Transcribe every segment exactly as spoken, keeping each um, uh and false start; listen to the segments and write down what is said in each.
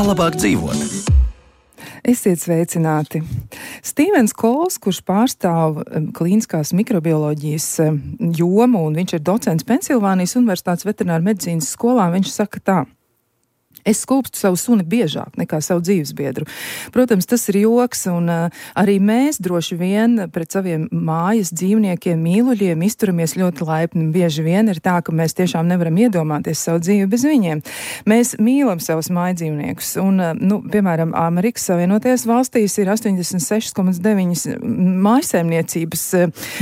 Kā labāk dzīvot? Esiet sveicināti. Stīvens Kols, kurš pārstāv klīniskās mikrobioloģijas jomu, un viņš ir docents Pensilvānijas Universitātes veterināra medicīnas skolā, viņš saka tā: es skūpstu savu suni biežāk nekā savu dzīvesbiedru. Protams, tas ir joks, un uh, arī mēs droši vien pret saviem mājas dzīvniekiem, mīluļiem izturamies ļoti laipni. Bieži vien ir tā, ka mēs tiešām nevaram iedomāties savu dzīvi bez viņiem. Mēs mīlam savus mājdzīvniekus, un, uh, nu, piemēram, Amerikas Savienotajās valstīs ir astoņdesmit seši komats deviņi mājsaimniecības, uh,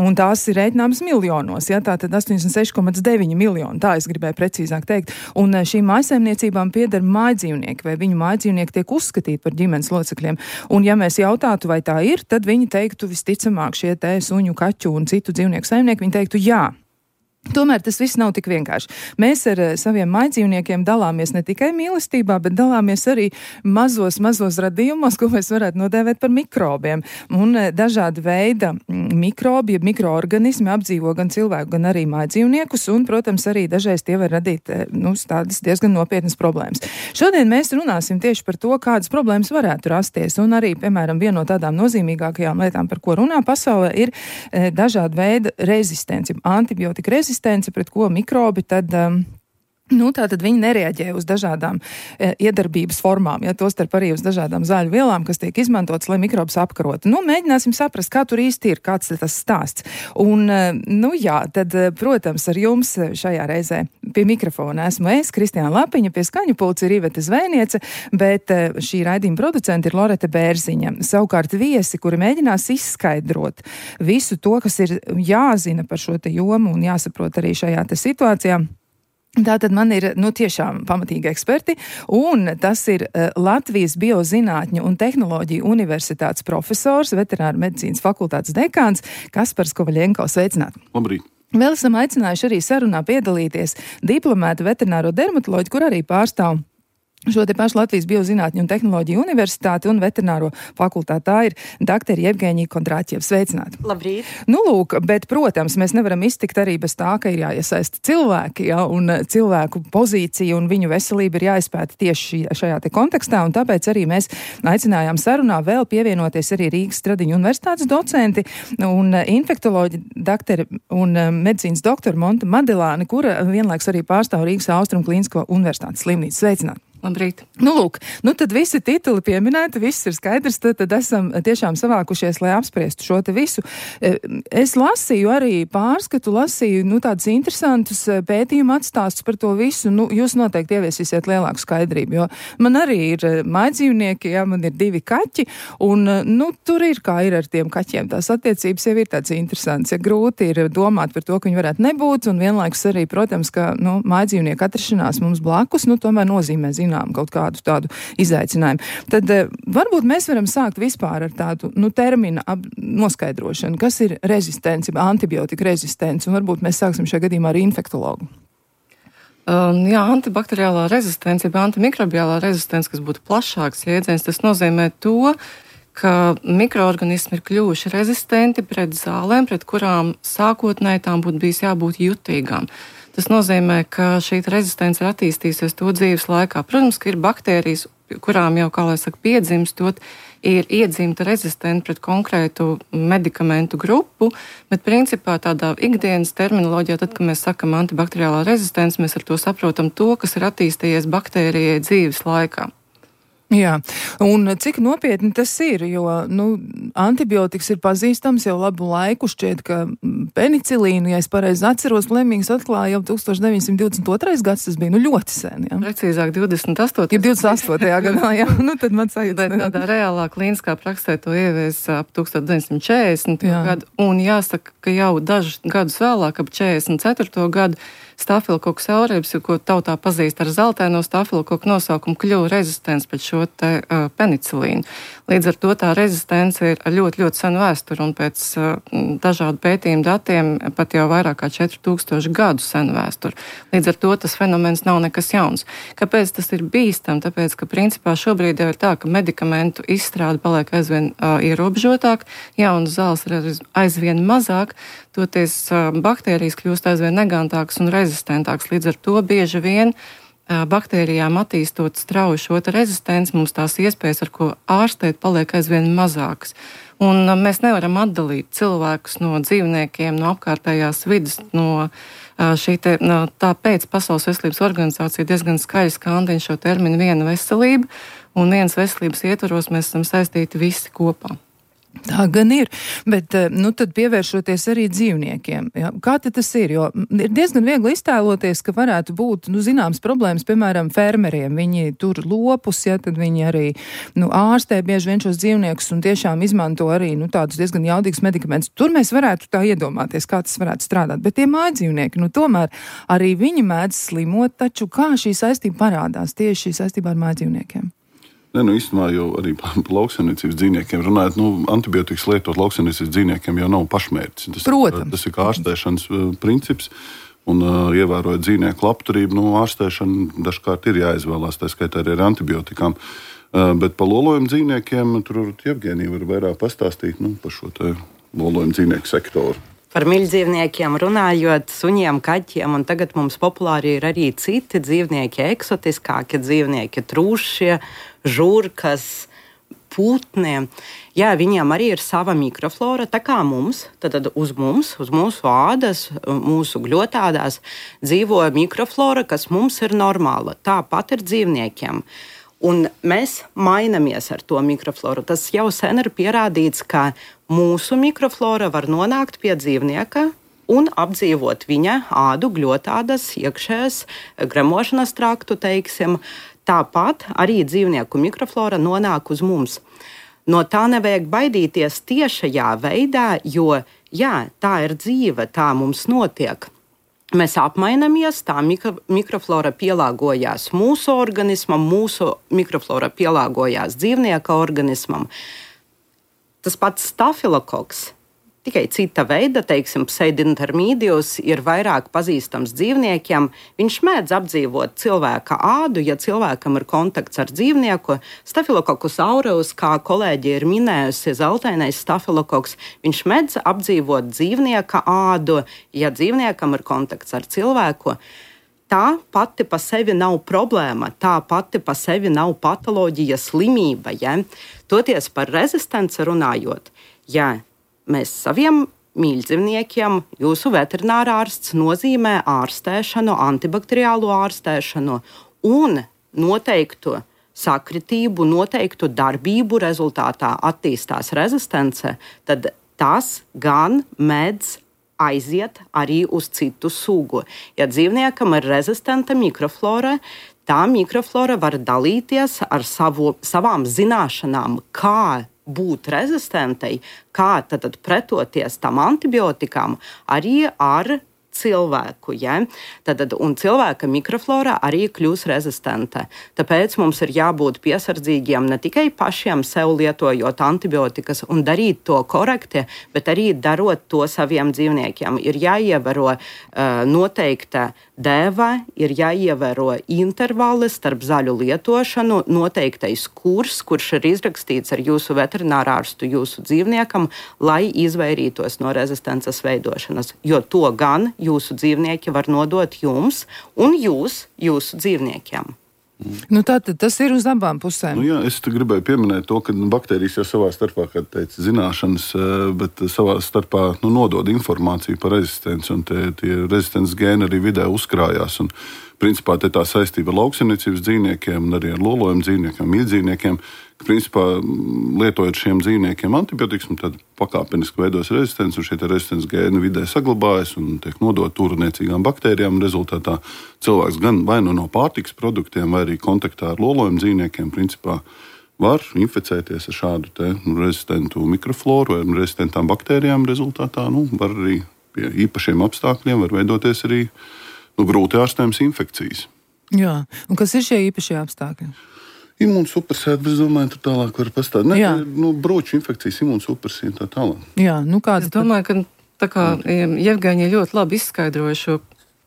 un tās ir rēķināmas miljonos, ja, tātad astoņdesmit seši komats deviņi miljoni, tā es gribēju precīzāk teikt, un uh, šīm mājsaimniecībām pieder mājdzīvnieki, vai viņu mājdzīvnieki tiek uzskatīti par ģimenes locekļiem. Un ja mēs jautātu, vai tā ir, tad viņi teiktu visticamāk šie te suņu, kaķu un citu dzīvnieku saimnieki, viņi teiktu jā. Tomēr tas viss nav tik vienkārši. Mēs ar saviem mājdzīvniekiem dalāmies ne tikai mīlestībā, bet dalāmies arī mazos, mazos radījumos, ko mēs varētu nodēvēt par mikrobiem. Un dažādi veida mikrobi, ja mikroorganismi apdzīvo gan cilvēku, gan arī mājdzīvniekus, un, protams, arī dažreiz tie var radīt, nu, tādas diezgan nopietnas problēmas. Šodien mēs runāsim tieši par to, kādas problēmas varētu rasties, un arī, piemēram, viena no tādām nozīmīgākajām lietām, par ko runā pasaulē, ir e, dažāda veida rezistence, antibiotika rezistence, pret ko mikrobi tad, um, nu, tātad viņi nereaģē uz dažādām e, iedarbības formām, ja tostarp arī uz dažādām zāļu vielām, kas tiek izmantotas, lai mikrobus apkarotu. Nu, mēģināsim saprast, kā tur īsti ir, kāds tas stāsts. Un, e, nu jā, tad, protams, ar jums šajā reizē pie mikrofona esmu es, Kristiāna Lapiņa, pie skaņu pulca ir Ivete Zvēniece, bet e, šī raidījuma producenta ir Loreta Bērziņa. Savukārt viesi, kuri mēģinās izskaidrot visu to, kas ir jāzina par šo te jomu un jāsaprot arī šajā te situācijā. Tātad man ir, nu, tiešām pamatīgi eksperti, un tas ir uh, Latvijas Biozinātņu un tehnoloģiju universitātes profesors, veterināra medicīnas fakultātes dekāns Kaspars Kovaļenko. Sveicināt! Labrīt! Vēl esam aicinājuši arī sarunā piedalīties diplomētu veterināro dermatoloģu, kur arī pārstāv šo te pašu Latvijas Biozinātņu un tehnoloģiju universitāti un veterināro fakultāti. Tā ir doktori Jevgeņija Kondrāķieva. Sveicināt! Labrīt! Nu, lūk, bet, protams, mēs nevaram iztikt arī bez tā, ka ir jāiesaista cilvēki, ja, un cilvēku pozīcija un viņu veselība ir jāizpēta tieši šajā te kontekstā, un tāpēc arī mēs aicinājām sarunā vēl pievienoties arī Rīgas Stradiņu universitātes docenti un infektoloģi doktori un medicīnas doktori Monta Madelāni, kura vienlaiks arī pārstāv Rīgas Austrumu Klīnisko universitātes slimnīcu. Sveicināt! Labrīt. Nu, lūk, nu tad visi tituli pieminēti, viss ir skaidrs, tad, tad esam tiešām savākušies, lai apspriestu šo te visu. Es lasīju arī pārskatu, lasīju, nu, tādus interesantus pētījumu atstāstus par to visu. Nu, jūs noteikti ieviesīsiet lielāku skaidrību, jo man arī ir mājdzīvnieki, jā, man ir divi kaķi, un, nu, tur ir kā ir ar tiem kaķiem. Tās attiecības jau ir tāds interesants, ja grūti ir domāt par to, ka viņi varētu nebūt, un vienlaikus arī, protams, ka, nu, mājdzīvnieku atrašanās mums blakus, nu, tomēr nozīmē, zinām, kaut kādu tādu izaicinājumu. Tad eh, varbūt mēs varam sākt vispār ar tādu, nu, termina ap, noskaidrošanu, kas ir rezistence, antibiotika rezistence, un varbūt mēs sāksim šajā gadījumā ar infektologu. Um, jā, antibakteriālā rezistence, ja antimikrobiālā rezistence, kas būtu plašāks jēdziens, tas nozīmē to, ka mikroorganismi ir kļuvuši rezistenti pret zālēm, pret kurām sākotnēji tām būtu bijis jābūt jutīgām. Tas nozīmē, ka šī rezistence ir attīstījusies to dzīves laikā. Protams, ka ir baktērijas, kurām jau, kā lai saka, piedzimstot, ir iedzimta rezistenta pret konkrētu medikamentu grupu, bet principā tādā ikdienas terminoloģijā, tad, kad mēs sakam antibakteriālā rezistence, mēs ar to saprotam to, kas ir attīstījies baktērijai dzīves laikā. Jā, un cik nopietni tas ir, jo, nu, antibiotikas ir pazīstams jau labu laiku, šķiet, ka penicilīnu, ja es pareizi atceros, Lemings atklāja jau tūkstoš deviņsimt divdesmit otrais gads, tas bija, nu, ļoti sen, jā. Precīzāk divdesmit astotajā Ja divdesmit astotajā gadā, jā, nu, tad man sajūta. Tādā reālā klīniskā praksē to ievies ap tūkstoš deviņsimt četrdesmitajā gadu, un jāsaka, ka jau dažus gadus vēlāk, ap četrdesmit ceturto gadu, Stafilokoks aureus, ko tautā pazīst ar zeltaino stafilokoku nosaukumu, kļuva rezistents pret šo te uh, penicilīnu. Līdz ar to tā rezistence ir ļoti, ļoti sena vēsture, un pēc uh, dažādu pētījumu datiem pat jau vairāk kā četri tūkstoši gadu sena vēsture. Līdz ar to tas fenomens nav nekas jauns. Kāpēc tas ir bīstam? Tāpēc, ka principā šobrīd jau ir tā, ka medikamentu izstrāde paliek aizvien uh, ierobežotāk, jaunas zāles ir aizvien mazāk, toties uh, baktērijas kļūst aizvien negantākas un rezistentākas. Līdz ar to bieži vien baktērijām attīstot strauju šo rezistenci, mums tās iespējas, ar ko ārstēt, paliek aizvien mazākas. Un mēs nevaram atdalīt cilvēkus no dzīvniekiem, no apkārtējās vidas, no šī te, no, tāpēc Pasaules veselības organizācija diezgan skaļi skandina šo terminu viena veselība, un vienas veselības ietvaros mēs esam saistīti visi kopā. Tā gan ir, bet nu, tad pievēršoties arī dzīvniekiem. Ja? Kā tad tas ir? Jo ir diezgan viegli iztēloties, ka varētu būt nu, zināmas problēmas, piemēram, fermeriem. Viņi tur lopus, ja, tad viņi arī nu, ārstē bieži vien šos dzīvniekus un tiešām izmanto arī nu, tādus diezgan jaudīgus medikamentus. Tur mēs varētu tā iedomāties, kā tas varētu strādāt. Bet tie mājdzīvnieki, nu tomēr arī viņi mēdz slimot, taču kā šī saistība parādās tieši šī saistībā ar mājdzīvniekiem? Ne, nu īstenībā jau arī par lauksaimniecības dzīvniekiem runājot, nu, antibiotikas lietot lauksaimniecības dzīvniekiem jau nav pašmērķis. Tas, Protams. Tas ir kā ārstēšanas princips, un uh, ievērojot dzīvnieku labturību, nu, ārstēšana dažkārt ir jāizvēlās, tā skaitā arī ar antibiotikām. Uh, bet par lolojumu dzīvniekiem tur Jevgenija var vairāk pastāstīt nu, par šo te lolojumu dzīvnieku sektoru. Par miļdzīvniekiem runājot, suņiem, kaķiem, un tagad mums populāri ir arī citi dzīvnieki, eksotiskāki dzīvnieki, trūšie, žurkas, putni. Jā, viņiem arī ir sava mikroflora, tā kā mums, tad uz mums, uz mūsu ādas, mūsu gļotādās dzīvo mikroflora, kas mums ir normāla. Tāpat ir dzīvniekiem. Un mēs mainamies ar to mikrofloru. Tas jau sen ir pierādīts, ka mūsu mikroflora var nonākt pie dzīvnieka un apdzīvot viņa ādu, gļotādas, iekšējās gremošanas traktu, teiksim. Tāpat arī dzīvnieku mikroflora nonāk uz mums. No tā nevajag baidīties tiešajā veidā, jo jā, tā ir dzīve, tā mums notiek. Mēs apmainamies, tā mikro, mikroflora pielāgojās mūsu organismam, mūsu mikroflora pielāgojās dzīvnieka organismam. Tas pats stafilokoks, tikai cita veida, teiksim, pseidintermīdijus, ir vairāk pazīstams dzīvniekiem. Viņš mēdz apdzīvot cilvēka ādu, ja cilvēkam ir kontakts ar dzīvnieku. Stafilokokus aureus, kā kolēģi ir minējusi, zeltainais stafilokoks, viņš mēdz apdzīvot dzīvnieka ādu, ja dzīvniekam ir kontakts ar cilvēku. Tā pati pa sevi nav problēma, tā pati pa sevi nav patoloģija, slimība. Ja? Toties par rezistenci runājot, ja mēs saviem mīļdzīvniekiem, jūsu veterinārārsts nozīmē ārstēšanu, antibakteriālo ārstēšanu un noteiktu sakritību, noteiktu darbību rezultātā attīstās rezistence, tad tas gan mēdz aiziet arī uz citu sugu. Ja dzīvniekam ir rezistenta mikroflora, tā mikroflora var dalīties ar savu, savām zināšanām, kā būt rezistentai, kā tad pretoties tam antibiotikām, arī ar cilvēku. Ja? Tad, un cilvēka mikroflora arī kļūs rezistenta. Tāpēc mums ir jābūt piesardzīgiem ne tikai pašiem sev lietojot antibiotikas un darīt to korekti, bet arī darot to saviem dzīvniekiem. Ir jāievēro uh, noteikta dēva, ir jāievēro intervali starp zaļu lietošanu, noteiktais kurs, kurš ir izrakstīts ar jūsu veterinārārstu jūsu dzīvniekam, lai izvairītos no rezistences veidošanas. Jo to gan jūsu dzīvnieki var nodot jums un jūs jūsu dzīvniekiem. Nu, tātad tas ir uz abām pusēm. Nu, jā, es gribēju pieminēt to, ka baktērijas jau savā starpā, kā teica, zināšanas, bet savā starpā nu, nodod informāciju par rezistenci, un tie, tie rezistences gēni arī vidē uzkrājās. Un, principā, te tā saistība ar lauksaimniecības dzīvniekiem un arī ar lolojumu dzīvniekiem, mīļdzīvniekiem, ka, principā, lietojot šiem dzīvniekiem antibiotikas, tad pakāpeniski veidos rezistence, un šie rezistences gēni vidē saglabājas un tiek nodot turniecīgām baktērijām, un rezultātā cilvēks gan vai nu no pārtikas produktiem, vai arī kontaktā ar lolojumu dzīvniekiem, principā, var inficēties ar šādu te rezistentu mikrofloru vai rezistentām baktērijām. Rezultātā nu, var arī pie īpašiem apstākļiem var veidoties arī nu, grūti ārstējams infekcijas. Jā, un kas ir šie īpašie apstākļi? Imūnsupresēta, bet es domāju, tur tālāk var pastāstīt. Ne, nu, broču infekcijas, imūnsupresija tā tālāk. Jā, nu kāds... Es domāju, ka tā kā Jevgenija ļoti labi izskaidroja šo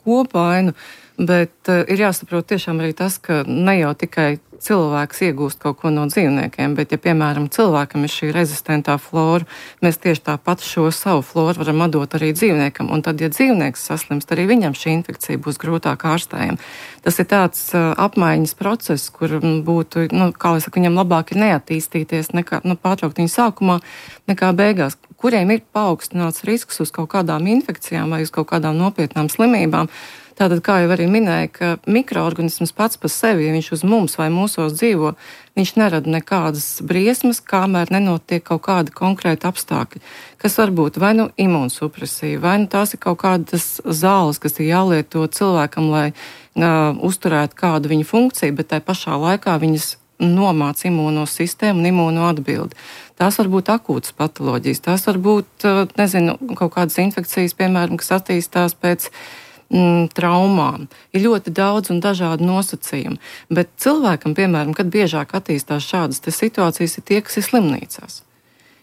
kopainu, bet uh, ir jāsaprot tiešām arī tas, ka ne jau tikai cilvēks iegūst kaut ko no dzīvniekiem, bet ja, piemēram, cilvēkam ir šī rezistentā flora, mēs tieši tāpat šo savu floru varam atdot arī dzīvniekam, un tad, ja dzīvnieks saslimst, arī viņam šī infekcija būs grūtāk ārstējama. Tas ir tāds uh, apmaiņas process, kur būtu, nu, kā lai saka, viņam labāk ir neattīstīties, nekā, nu, pārtraukt viņu sākumā, nekā beigās, kuriem ir paaugstināts risks uz kaut kādām infekcijām vai uz kaut kādām nopietnām slimībām. Tātad, kā jau arī minēja, ka mikroorganisms pats par sevi, ja viņš uz mums vai mūsos dzīvo, viņš nerada nekādas briesmas, kamēr nenotiek kaut kādi konkrēti apstākļi, kas var būt vai nu imūnsupresija, vai nu tās ir kaut kādas zāles, kas ir jālieto cilvēkam, lai uh, uzturētu kādu viņa funkciju, bet tai pašā laikā viņas nomāca imūno sistēmu un imūno atbildi. Tās var būt akūtas patoloģijas, tās var būt, nezinu, kaut kādas infekcijas, piemēram, kas attīstās pēc mm, traumām. Ir ļoti daudz un dažādi nosacījumi, bet cilvēkam, piemēram, kad biežāk attīstās šādas situācijas, ir tie, kas ir slimnīcās.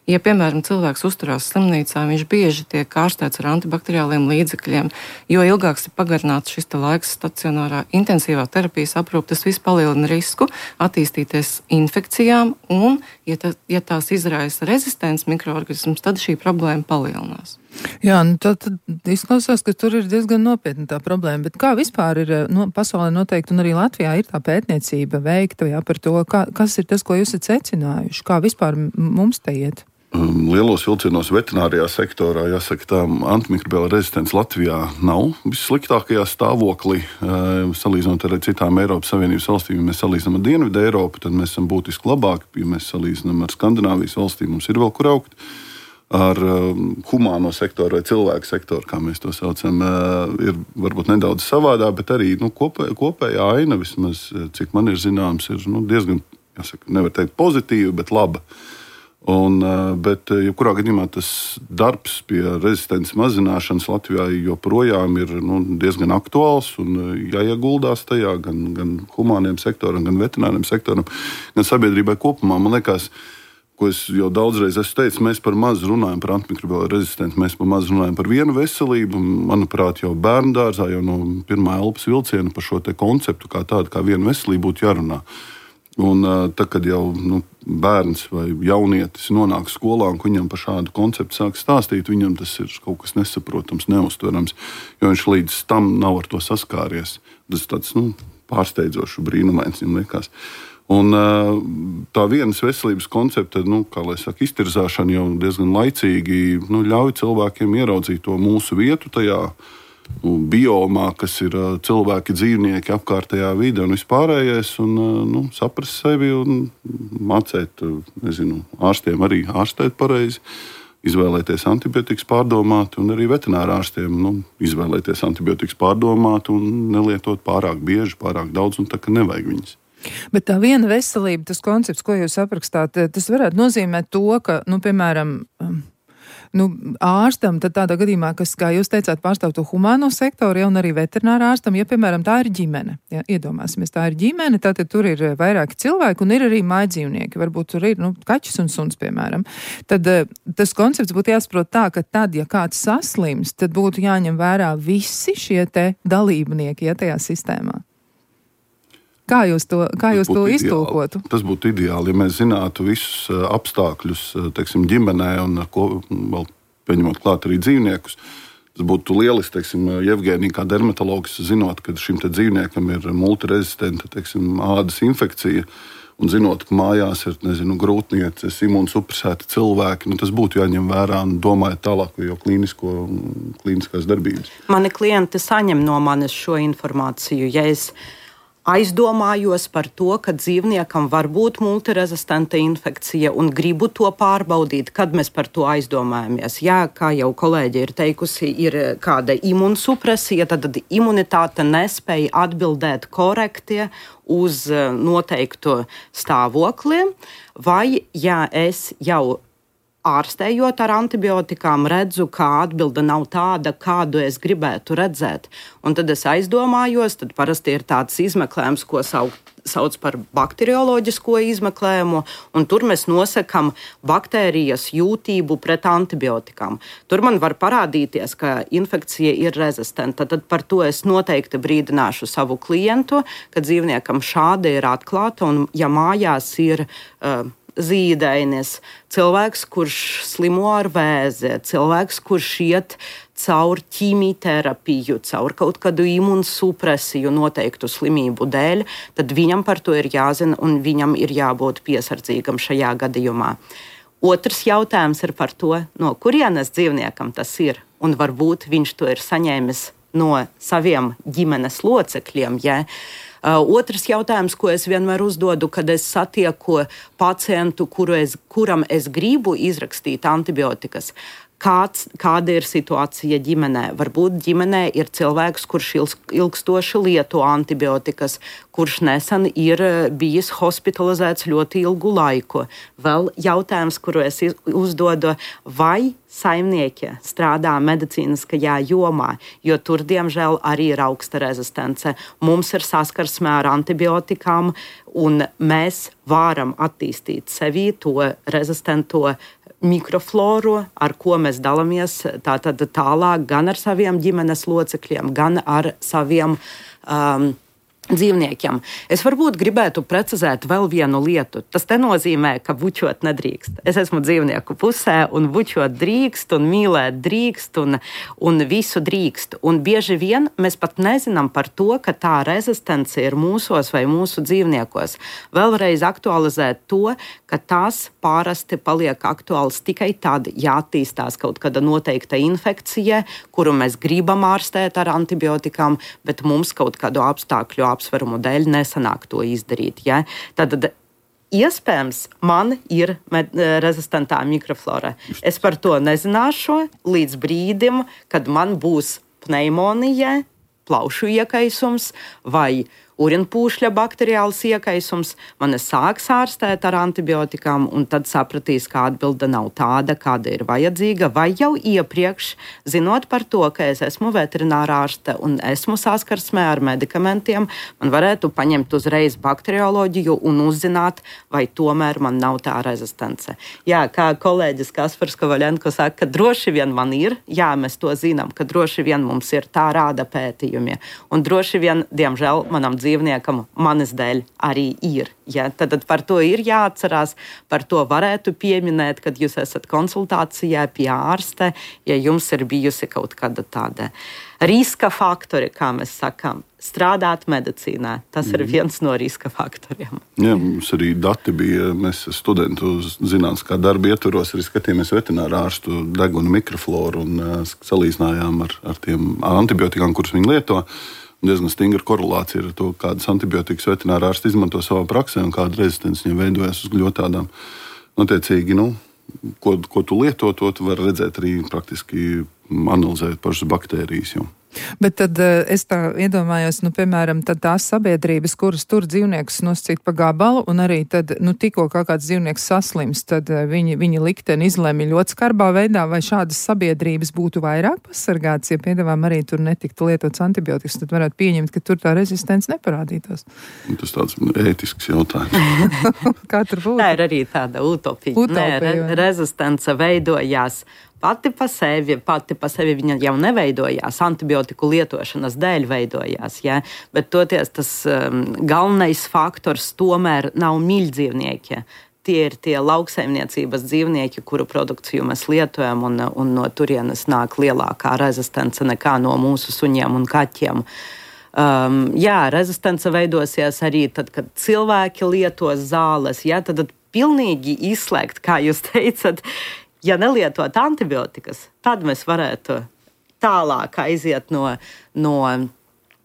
Ja, piemēram, cilvēks uzturās slimnīcā, viņš bieži tiek ārstēts ar antibakteriāliem līdzekļiem, jo ilgāks ir pagarināts šis laiks stacionārā intensīvā terapijas aprūpe, tas viss palielina risku attīstīties infekcijām, un, ja, tā, ja tās izraisa rezistents mikroorganisms, tad šī problēma palielinās. Jā, nu tad, tad izklausās, ka tur ir diezgan nopietna tā problēma, bet kā vispār ir, no, pasaulē noteikti, un arī Latvijā ir tā pētniecība veikta, jā, par to, kā, kas ir tas, ko jūs esat secinājuši, kā vispār mums te iet? Lielos vilcienos veterinārijā sektorā, jāsaka, tā antimikrobiāla rezistence Latvijā nav vissliktākajā stāvoklī. Salīdzinot ar citām Eiropas Savienības valstīm, ja mēs salīdzinām ar Dienvidu Eiropu, tad mēs esam būtiski labāki. Ja mēs salīdzinām ar Skandināvijas valstīm, mums ir vēl kur augt. Ar humāno sektoru vai cilvēku sektoru, kā mēs to saucam, ir varbūt nedaudz savādā, bet arī nu, kopē, kopējā aina, vismaz cik man ir zināms, ir nu, diezgan, jāsaka, nevar teikt pozitīva, bet laba. Un, bet, jebkurā gadījumā tas darbs pie rezistences mazināšanas Latvijā joprojām ir nu, diezgan aktuāls un jāieguldās tajā gan, gan humāniem sektoram, gan veterināriem sektoram, gan sabiedrībai kopumā. Man liekas, ko es jau daudzreiz esmu teicis, mēs par maz runājam par antimikrobiālo rezistenci, mēs par maz runājam par vienu veselību. Manuprāt, jau bērndārzā, jau no pirmā elpas vilciena par šo te konceptu kā tādu, kā vienu veselību būtu jārunā. Un tad, kad jau nu, bērns vai jaunietis nonāk skolā un viņam par šādu konceptu sāk stāstīt, viņam tas ir kaut kas nesaprotams, neuztverams, jo viņš līdz tam nav ar to saskāries. Tas ir tāds nu, pārsteidzošs, brīnumains, viņam liekas. Un tā vienas veselības koncepta, nu, kā lai saka, iztirzāšana jau diezgan laicīgi nu, ļauj cilvēkiem ieraudzīt to mūsu vietu tajā biomā, kas ir cilvēki, dzīvnieki, apkārtējā vide un vispārējais, un nu, saprast sevi un mācēt, nezinu, ārstiem arī ārstēt pareizi, izvēlēties antibiotikas pārdomāt, un arī veterinārā ārstiem nu, izvēlēties antibiotikas pārdomāt un nelietot pārāk bieži, pārāk daudz, un tā, ka nevajag viņas. Bet tā viena veselība, tas koncepts, ko jūs aprakstāt, tas varētu nozīmēt to, ka, nu, piemēram, Nu, ārstam, tad tādā gadījumā, kas, kā jūs teicāt, pārstāv to humāno sektoru, ja, un arī veterinārā ārstam, ja, piemēram, tā ir ģimene. Ja, iedomāsimies, tā ir ģimene, tātad tur ir vairāki cilvēki un ir arī mājdzīvnieki. Varbūt tur ir, nu, kaķis un suns, piemēram. Tad tas koncepts būtu jāsaprot tā, ka tad, ja kāds saslims, tad būtu jāņem vērā visi šie te dalībnieki, ja, tajā sistēmā. Kā jūs to, kā jūs to iztulkotu? Tas būtu ideāli, ja mēs zinātu visus apstākļus, teiksim, ģimenē un ko, vēl pieņemot klāt arī dzīvniekus. Tas būtu lieliski, teiksim, Jevgēnija kā dermatologs, zinot, ka šim te dzīvniekam ir multirezistenta, teiksim, ādas infekcija, un zinot, ka mājās ir, nezinu, grūtnieces, imūnsupresēti cilvēki, nu tas būtu jāņem vērā un domājot tālāk jau klīnisko, klīniskās darbības. Mani klienti saņem no manis šo informāciju, ja es aizdomājos par to, ka dzīvniekam var būt multirezistenta infekcija un gribu to pārbaudīt, kad mēs par to aizdomājamies. Jā, kā jau kolēģi ir teikusi, ir kāda imunsupresija, tad imunitāte nespēja atbildēt korekti uz noteikto stāvokli, vai ja es jau ārstējot ar antibiotikām, redzu, ka atbilde nav tāda, kādu es gribētu redzēt. Un tad es aizdomājos, tad parasti ir tāds izmeklējums, ko sauc, sauc par bakterioloģisko izmeklējumu, un tur mēs nosakam baktērijas jūtību pret antibiotikām. Tur man var parādīties, ka infekcija ir rezistenta. Tad par to es noteikti brīdināšu savu klientu, ka dzīvniekam šāda ir atklāta, un ja mājās ir uh, zīdainis, cilvēks, kurš slimo ar vēzi, cilvēks, kurš iet caur ķīmijterapiju, caur kaut kādu imunsupresiju noteiktu slimību dēļ, tad viņam par to ir jāzina un viņam ir jābūt piesardzīgam šajā gadījumā. Otrs jautājums ir par to, no kurienes dzīvniekam tas ir, un varbūt viņš to ir saņēmis no saviem ģimenes locekļiem, ja? Uh, otrs jautājums, ko es vienmēr uzdodu, kad es satieku pacientu, kuru es, kuram es gribu izrakstīt antibiotikas. Kāds, kāda ir situācija ģimenē? Varbūt ģimenē ir cilvēks, kurš ilgstoši lieto antibiotikas, kurš nesen ir bijis hospitalizēts ļoti ilgu laiku. Vēl jautājums, kuru es uzdodu, vai saimnieki strādā medicīniskajā jomā, jo tur, diemžēl, arī ir augsta rezistence. Mums ir saskarsme ar antibiotikām, un mēs varam attīstīt sevī to rezistento mikrofloru, ar ko mēs dalāmies tātad tālāk gan ar saviem ģimenes locekļiem, gan ar saviem um, dzīvniekiem. Es varbūt gribētu precizēt vēl vienu lietu. Tas nenozīmē, ka bučot nedrīkst. Es esmu dzīvnieku pusē, un bučot drīkst, un mīlēt drīkst, un, un visu drīkst. Un bieži vien mēs pat nezinām par to, ka tā rezistence ir mūsos vai mūsu dzīvniekos. Vēlreiz aktualizēt to, ka tās pārasti paliek aktuāls tikai tad, ja attīstās kaut kāda noteikta infekcija, kuru mēs gribam ārstēt ar antibiotikām, bet mums kaut kādu apstākļu apsverumu dēļ nesanāk to izdarīt. Ja? Tad iespējams man ir med- rezistentā mikroflora. Es par to nezināšu līdz brīdim, kad man būs pneimonija, plaušu iekaisums vai urinpūšļa bakteriāls iekaisums, man sāks ārstēt ar antibiotikām, un tad sapratīs, ka atbilde nav tāda, kāda ir vajadzīga, vai jau iepriekš, zinot par to, ka es esmu veterinārā ārste un esmu saskarsmē ar medikamentiem, man varētu paņemt uzreiz bakterioloģiju un uzzināt, vai tomēr man nav tā rezistence. Jā, kā kolēģis Kaspars Kovaļenko saka, ka droši vien man ir, jā, mēs to zinām, ka droši vien mums ir, tā rāda pētījumi, un droši vien, diemžēl, manam dzīvniekam dzīvniekam manis dēļ arī ir. Ja? Tad, tad par to ir jāatcerās, par to varētu pieminēt, kad jūs esat konsultācijā pie ārste, ja jums ir bijusi kaut kāda tāda riska faktori, kā mēs sakām, strādāt medicīnā. Tas mm. ir viens no riska faktoriem. Jā, mums arī dati bija, mēs studentu zinātniskā darba ietvaros arī skatījāmies veterināru ārstu deguna mikrofloru un uh, salīdzinājām ar, ar tiem antibiotikām, kurus viņi lieto. Diezgan stingra korelācija ar to, kādas antibiotikas veterinārā ārsti izmanto savā praksē un kāda rezistence viņam veidojas uz gļotādām. Notiecīgi, nu, ko, ko tu lieto, to tu vari redzēt arī praktiski analizēt pašas baktērijas. Jau. Bet tad es tā iedomājos, nu, piemēram, tad tās sabiedrības, kuras tur dzīvniekus nosacīt pa gabalu, un arī tad, nu, tikko kā kāds dzīvnieks saslims, tad viņi, viņi likteni izlēma ļoti skarbā veidā, vai šādas sabiedrības būtu vairāk pasargāts, ja piedāvām arī tur netiktu lietots antibiotikas, tad varētu pieņemt, ka tur tā rezistence neparādītos. Tas tāds ētisks jautājums. Kā tur būtu? Tā ir arī tāda utopija. utopija Nē, re, rezistence veidojās pati pa sevi, pati pa sevi viņa jau neveidojās, antibiotiku lietošanas dēļ veidojās, ja? Bet toties tas um, galvenais faktors tomēr nav mīļdzīvnieki. Tie ir tie lauksaimniecības dzīvnieki, kuru produkciju mēs lietojam, un, un no turienes nāk lielākā rezistence nekā no mūsu suņiem un kaķiem. Um, jā, rezistence veidosies arī tad, kad cilvēki lietos zāles, ja? Tad, tad pilnīgi izslēgt, kā jūs teicat, ja nelietot antibiotikas, tad mēs varētu tālāk aiziet no, no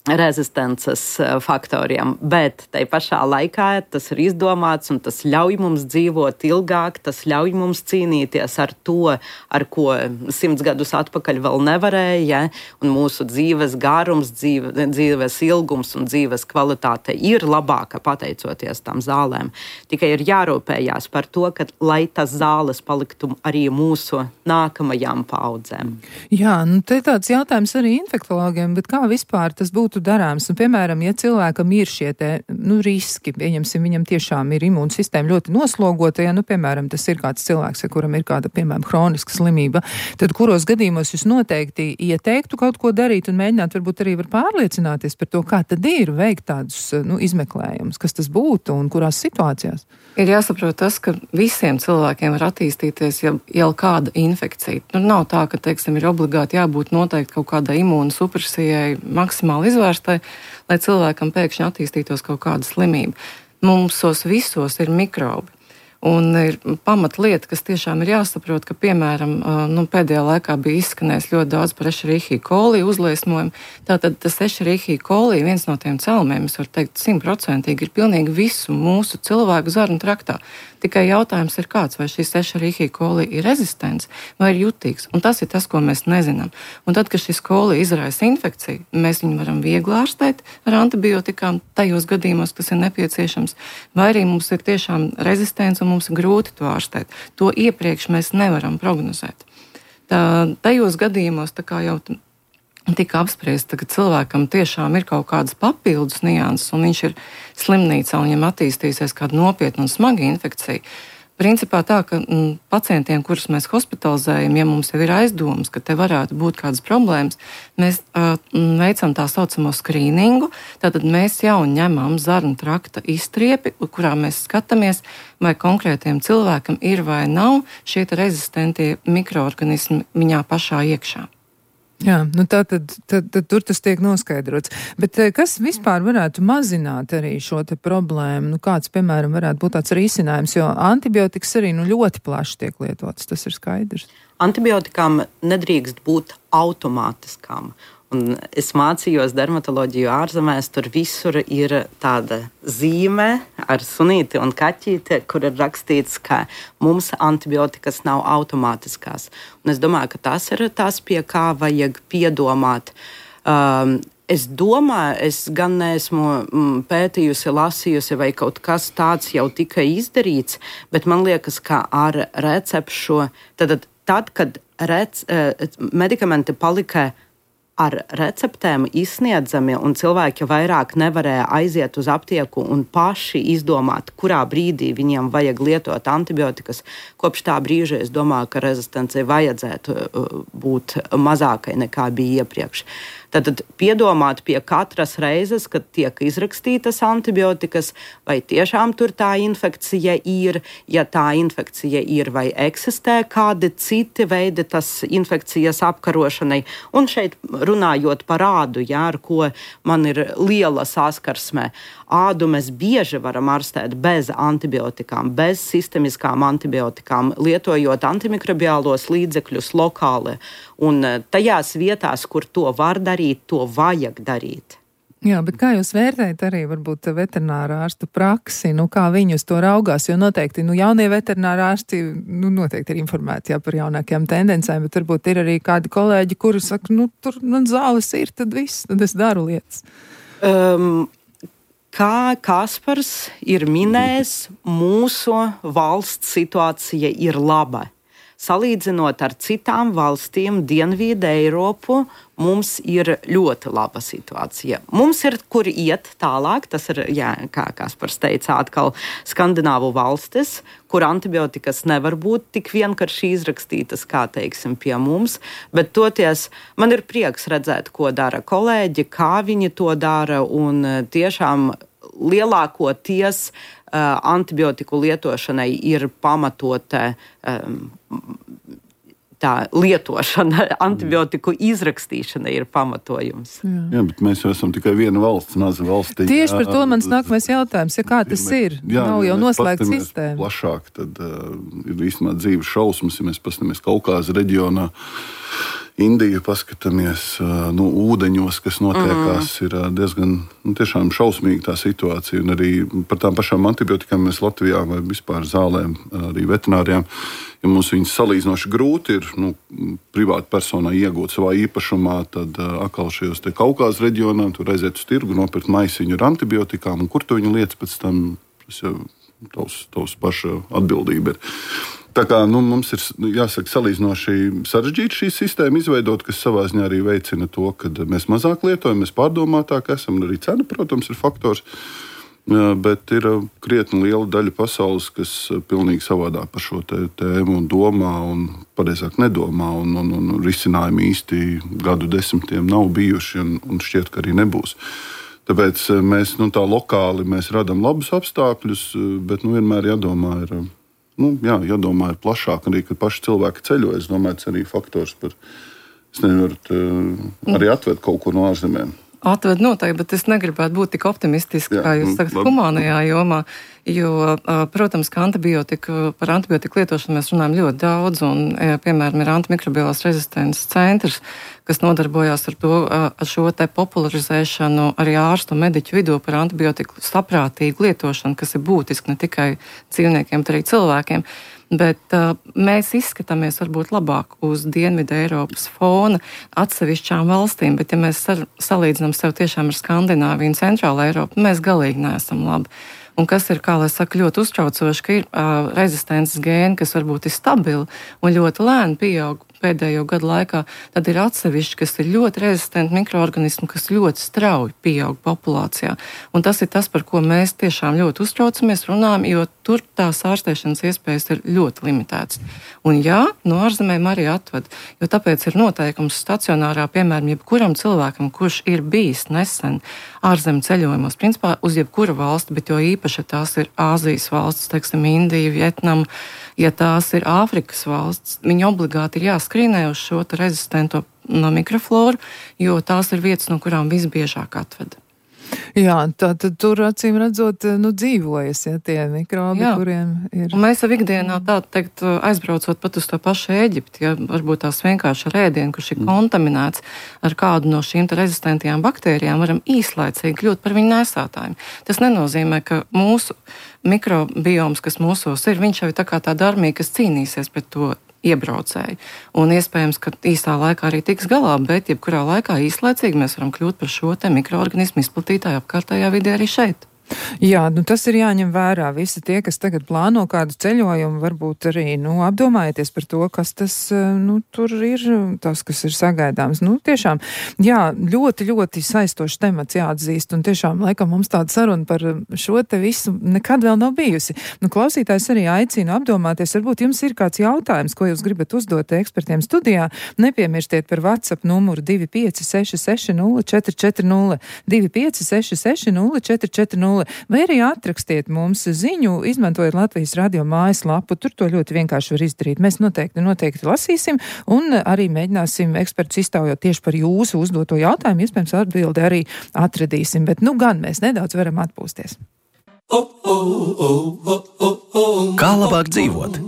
rezistences faktoriem, bet tai pašā laikā tas ir izdomāts un tas ļauj mums dzīvot ilgāk, tas ļauj mums cīnīties ar to, ar ko simts gadus atpakaļ vēl nevarēja, ja? Un mūsu dzīves garums, dzīve, dzīves ilgums un dzīves kvalitāte ir labāka pateicoties tam zālēm. Tikai ir jārūpējās par to, ka, lai tas zāles paliktu arī mūsu nākamajām paudzēm. Jā, nu te tāds jautājums arī infektologiem, bet kā vispār tas būtu darāms? Un, piemēram, ja cilvēkam ir šie te, nu, riski, pieņemsim, viņam tiešām ir imūnsistēma ļoti noslogota, ja, nu, piemēram, tas ir kāds cilvēks, ja kuram ir kāda, piemēram, hroniska slimība, tad kuros gadījumos jūs noteikti ieteiktu kaut ko darīt un mēģināt varbūt arī var pārliecināties par to, kā tad ir veikt tādus, nu, izmeklējumus, kas tas būtu un kurās situācijās? Ir jāsaprot tas, ka visiem cilvēkiem var attīstīties jau, jau kāda infekcija. Nu, nav tā, ka, teiksim, ir obligāti jābūt noteikti kaut kādai imūnu supresijai maksimāli izvērstai, lai cilvēkam pēkšņi attīstītos kaut kāda slimība. Mums visos ir mikrobi. Un ir pamatlieta, kas tiešām ir jāsaprot, ka, piemēram, nu, pēdējā laikā bija izskanējis ļoti daudz par Escherichia coli uzliesmojumu. Tātad tas Escherichia coli, viens no tiem cēlumiem, es varu teikt, simtprocentīgi ir pilnīgi visu mūsu cilvēku zarnu traktā. Tikai jautājums ir kāds, vai šis Escherichia coli ir rezistents vai ir jutīgs. Un tas ir tas, ko mēs nezinām. Un tad, kad šis coli izraisa infekciju, mēs viņu varam viegli ārstēt ar antibiotikām tajos gadījumos, kas ir nepieciešams, vai arī mums ir tiešām rezistents un mums ir grūti to ārstēt. To iepriekš mēs nevaram prognozēt. Tā, tajos gadījumos, tā kā jau tika apspriesta, ka cilvēkam tiešām ir kaut kādas papildus nianses un viņš ir slimnīcā un viņam attīstīsies kāda nopietna un smaga infekcija. Principā tā, ka m, pacientiem, kurus mēs hospitalizējam, ja mums jau ir aizdomas, ka te varētu būt kādas problēmas, mēs uh, veicam tā saucamo skrīningu, tātad mēs jau ņemam zarnu trakta izstriepi, kurā mēs skatāmies, vai konkrētiem cilvēkam ir vai nav šie rezistentie mikroorganismi viņā pašā iekšā. Jā, nu tā tad, tad, tad tur tas tiek noskaidrots. Bet kas vispār varētu mazināt arī šo te problēmu? Nu kāds, piemēram, varētu būt tāds risinājums, jo antibiotikas arī nu ļoti plaši tiek lietotas, tas ir skaidrs. Antibiotikām nedrīkst būt automātiskām. Un es mācījos dermatoloģiju ārzemēs, tur visur ir tāda zīme ar sunīti un kaķīti, kur ir rakstīts, ka mums antibiotikas nav automātiskās. Un es domāju, ka tas ir tas, pie kā vajag piedomāt. Um, es domāju, es gan neesmu pētījusi, lasījusi, vai kaut kas tāds jau tika izdarīts, bet man liekas, ka ar recepšu, tad, tad kad rec, medikamenti palika ar receptēm izsniedzami un cilvēki vairāk nevarēja aiziet uz aptieku un paši izdomāt, kurā brīdī viņiem vajag lietot antibiotikas. Kopš tā brīža es domāju, ka rezistencija vajadzētu būt mazākai nekā bija iepriekš. Tad piedomāt pie katras reizes, kad tiek izrakstītas antibiotikas, vai tiešām tur tā infekcija ir, ja tā infekcija ir vai eksistē kādi citi veidi tas infekcijas apkarošanai. Un šeit runājot par ādu, jā, ar ko man ir liela saskarsme. Ādu mēs bieži varam ārstēt bez antibiotikām, bez sistemiskām antibiotikām, lietojot antimikrobiālos līdzekļus lokāli. Un tajās vietās, kur to var darīt, to vajag darīt. Jā, bet kā jūs vērtējat arī varbūt veterinārā ārstu praksi, nu kā viņi uz to raugās, jo noteikti, nu jaunie veterinārā ārsti, nu noteikti ir informēti jā, par jaunākajām tendencēm, bet varbūt ir arī kādi kolēģi, kuri saka, nu tur man zāles ir, tad viss, tad es daru lietas. Um, kā Kaspars ir minējis, mūsu valsts situācija ir laba. Salīdzinot ar citām valstīm, Dienvidu Eiropu, mums ir ļoti laba situācija. Mums ir, kur iet tālāk, tas ir, jā, kā Kaspars teica, atkal skandināvu valstis, kur antibiotikas nevar būt tik vienkārši izrakstītas, kā, teiksim, pie mums, bet toties man ir prieks redzēt, ko dara kolēģi, kā viņi to dara, un tiešām lielākoties uh, antibiotiku lietošanai ir pamatota um, tā lietošana, antibiotiku izrakstīšana ir pamatojums. Jā. Jā, bet mēs jau esam tikai viena valsts, maza valstī. Tieši par to mans nākamais jautājums, ja kā tas ja ir? Jā, nav jau noslēgta sistēma. Plašāk, tad uh, ir īstenībā dzīves šausmas, ja mēs paskatāmies Kaukāza reģionā. Indiju paskatāmies, nu, ūdeņos, kas notiekās, mm. ir diezgan nu, tiešām šausmīga tā situācija. Un arī par tām pašām antibiotikām mēs Latvijā vai vispār zālēm, arī veterinārijām, ja mums viņas salīdzinoši grūti ir nu, privāta personā iegūt savā īpašumā, tad atkal šajos te Kaukāzes reģionā tur aiziet uz tirgu, nopirkt maisiņu ar antibiotikām, un kur tu viņu liec pēc tam, tas jau tavs, tavs paša atbildība ir. Tā kā nu, mums ir jāsaka, salīdzinoši sarežģīta šī sistēma izveidot, kas savā ziņā arī veicina to, ka mēs mazāk lietojam, mēs pārdomātāk esam, un arī cena, protams, ir faktors. Bet ir krietni liela daļa pasaules, kas pilnīgi savādāk par šo tēmu un domā, un pareizāk nedomā, un, un, un risinājumi īsti gadu desmitiem nav bijuši, un, un šķiet, ka arī nebūs. Tāpēc mēs nu, tā lokāli mēs radam labus apstākļus, bet nu, vienmēr jādomā ir. Nu, jā, jādomā ir plašāk, arī, kad paši cilvēki ceļo. Es domāju, tas arī faktors par, es nevaru arī atved kaut ko no ārzemēm. Atved noteikti, bet es negribētu būt tik optimistiski, kā jūs sakat, humānajā jomā, jo, protams, ka antibiotika, par antibiotiku lietošanu mēs runājam ļoti daudz, un, piemēram, ir antimikrobiālās rezistences centrs, kas nodarbojās ar to, ar šo te popularizēšanu arī ārstu un mediķu vidū par antibiotiku saprātīgu lietošanu, kas ir būtiski ne tikai dzīvniekiem, bet arī cilvēkiem. Bet uh, mēs izskatāmies varbūt labāk uz Dienvidu Eiropas fona atsevišķām valstīm, bet ja mēs sar, salīdzinām sev tiešām ar Skandināviju un Centrālu Eiropu, mēs galīgi neesam labi. Un kas ir, kā lai saka, ļoti uztraucoši, ka ir uh, rezistences gēni, kas varbūt ir stabili un ļoti lēni pieaug pēdējo gadu laikā, tad ir atsevišķi, kas ir ļoti rezistenti mikroorganismi, kas ļoti strauji pieaug populācijā. Un tas ir tas, par ko mēs tiešām ļoti uztraucamies, runājam, jo tur tās ārstēšanas iespējas ir ļoti limitētas. Un jā, no ārzemēm arī atved, jo tāpēc ir noteikums stacionārā, piemēram, jebkuram cilvēkam, kurš ir bijis nesen ārzem ceļojumos, principā uz jebkura valsti, bet jo īpaši tās ir Āzijas valsts, teiksim, Indija, Vietnama, ja tās ir Āfrikas valsts, viņi obligāti ir jāskrīnē uz šo rezistento no mikrofloru, jo tās ir vietas, no kurām visbiežāk atved. Jā, tā tad tur acīm redzot, nu, dzīvojas, ja tie mikrobi, jā, kuriem ir. Un mēs jau ikdienā tā teikt, aizbraucot pat uz to pašu Ēģipti, ja varbūt tās vienkārši ar ēdienu, kurš ir kontaminēts ar kādu no šīm rezistentajām baktērijām, varam īslaicīgi kļūt par viņu nesātājiem. Tas nenozīmē, ka mūsu mikrobioms, kas mūsos ir, viņš jau ir tā kā tāda armija, kas cīnīsies pret to iebraucēju. Un iespējams, ka īsā laikā arī tiks galā, bet jebkurā laikā īslaicīgi mēs varam kļūt par šo te mikroorganismu izplatītāju apkārtējā vidē arī šeit. Jā, nu tas ir jāņem vērā. Visi tie, kas tagad plāno kādu ceļojumu, varbūt arī, nu, apdomājieties par to, kas tas, nu, tur ir, tas, kas ir sagaidāms. Nu, tiešām, jā, ļoti, ļoti saistošs temats jāatzīst, un tiešām, laikam, mums tāda saruna par šo te visu nekad vēl nav bijusi. Nu, klausītājs arī aicina apdomāties, varbūt jums ir kāds jautājums, ko jūs gribat uzdot ekspertiem studijā. Nepiemirstiet par WhatsApp numuru divi pieci seši seši nulle četri četri nulle, divi pieci seši seši nulle četri četri nulle. Vai arī atrakstiet mums ziņu, izmantojot Latvijas radio mājaslapu. Tur to ļoti vienkārši var izdarīt. Mēs noteikti, noteikti lasīsim un arī mēģināsim ekspertus iztaujot tieši par jūsu uzdoto jautājumu. Iespējams, atbildi arī atradīsim, bet nu gan mēs nedaudz varam atpūsties. Kā labāk dzīvot?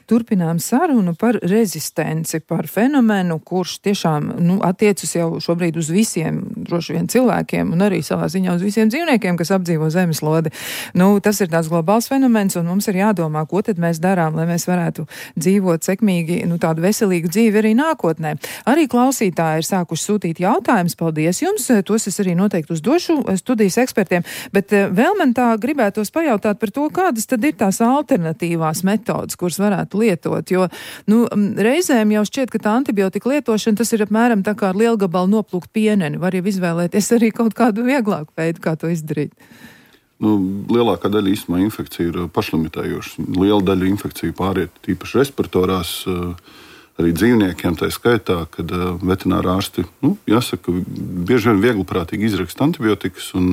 Turpinām sarunu par rezistenci, par fenomenu, kurš tiešām nu, attiecas jau šobrīd uz visiem, droši vien cilvēkiem un arī savā ziņā uz visiem dzīvniekiem, kas apdzīvo zemeslodi. Nu, tas ir tāds globāls fenomens, un mums ir jādomā, ko tad mēs darām, lai mēs varētu dzīvot sekmīgi, nu, tādu veselīgu dzīvi arī nākotnē. Arī klausītāji ir sākuši sūtīt jautājumus. Paldies jums! Tos es arī noteikti uzdošu studijas ekspertiem, bet vēl man tā gribētos pajautāt par to, kādas tad ir tās alternatīvās metodas, kuras varētu lietot, jo nu, reizēm jau šķiet, ka tā antibiotika lietošana tas ir apmēram tā kā ar lielu gabalu noplūkt pieneni. Var jau izvēlēties arī kaut kādu vieglāku veidu, kā to izdarīt. Nu, lielākā daļa īstenībā infekcija ir pašlimitējoša. Liela daļa infekciju pāriet tīpaši respiratorās, arī dzīvniekiem, tā skaitā, kad veterinārā ārsti, nu, jāsaka, bieži vien viegliprātīgi izraksta antibiotikas, un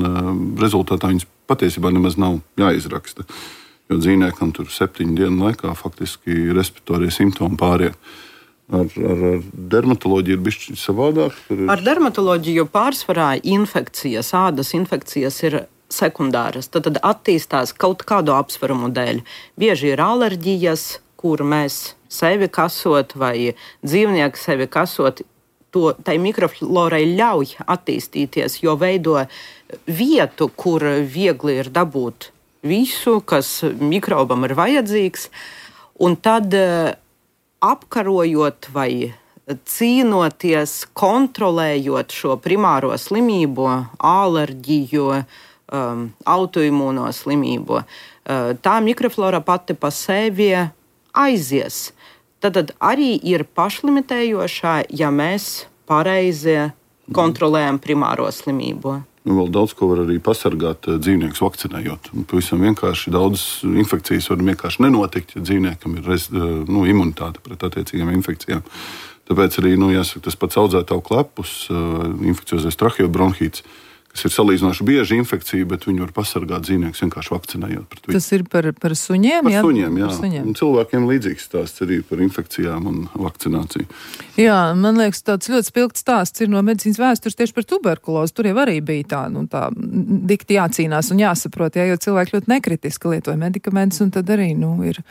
rezultātā viņas patiesībā nemaz nav jāizraksta. Jo dzīvniekam tur septiņu dienu laikā faktiski respiratorie simptomi pāriet. Ar, ar, ar dermatoloģiju ir bišķi savādāk? Ir... Ar dermatoloģiju pārsvarā infekcijas, ādas infekcijas ir sekundāras. Tad, tad attīstās kaut kādu apsvērumu dēļ. Bieži ir alerģijas, kur mēs sevi kasot vai dzīvnieku sevi kasot, to, tai mikroflorai ļauj attīstīties, jo veido vietu, kur viegli ir dabūt visu, kas mikrobam ir vajadzīgs, un tad apkarojot vai cīnoties, kontrolējot šo primāro slimību, alerģiju, um, autoimūno slimību, uh, tā mikroflora pati pa sevi aizies. Tad arī ir pašlimitējošā, ja mēs pareizi kontrolējam primāro slimību. Nu, vēl daudz ko var arī pasargāt dzīvniekus vakcinējot. Pavisam vienkārši daudz infekcijas var vienkārši nenotikt, ja dzīvniekam ir rez, nu, imunitāte pret attiecīgām infekcijām. Tāpēc arī, nu, jāsaka, tas pats audzētāju klepus, infekciozais tracheobronhīts, kas ir salīdzinoši bieži infekcija, bet viņi var pasargāt dzīvniekus vienkārši vakcinējot pret viņu. Tas ir par, par suņiem? Par jā? suņiem, jā. Par suņiem. Un cilvēkiem līdzīgs stāsts arī par infekcijām un vakcināciju. Jā, man liekas, tāds ļoti spilgts stāsts ir no medicīnas vēstures tieši par tuberkulozi. Tur jau arī bija tā, nu, tā dikti jācīnās un jāsaprot, jā, jo cilvēki ļoti nekritiski lietoja medikamentus, un tad arī, nu, ir,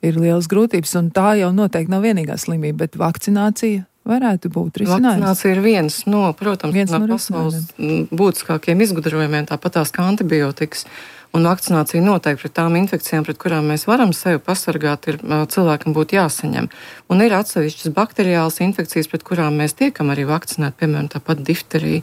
ir lielas grūtības, un tā jau noteikti nav vienīgā slimība, bet vakcinācija varētu būt risinājums. Vakcinācija ir viens no, protams, viens no, no pasaules būtiskākiem izgudrojumiem, tāpatās kā antibiotikas. Un vakcinācija noteikti pret tām infekcijām, pret kurām mēs varam sevi pasargāt, ir cilvēkam būtu jāsaņem. Un ir atsevišķas bakteriālas infekcijas, pret kurām mēs tiekam arī vakcinēt, piemēram, tāpat difterija,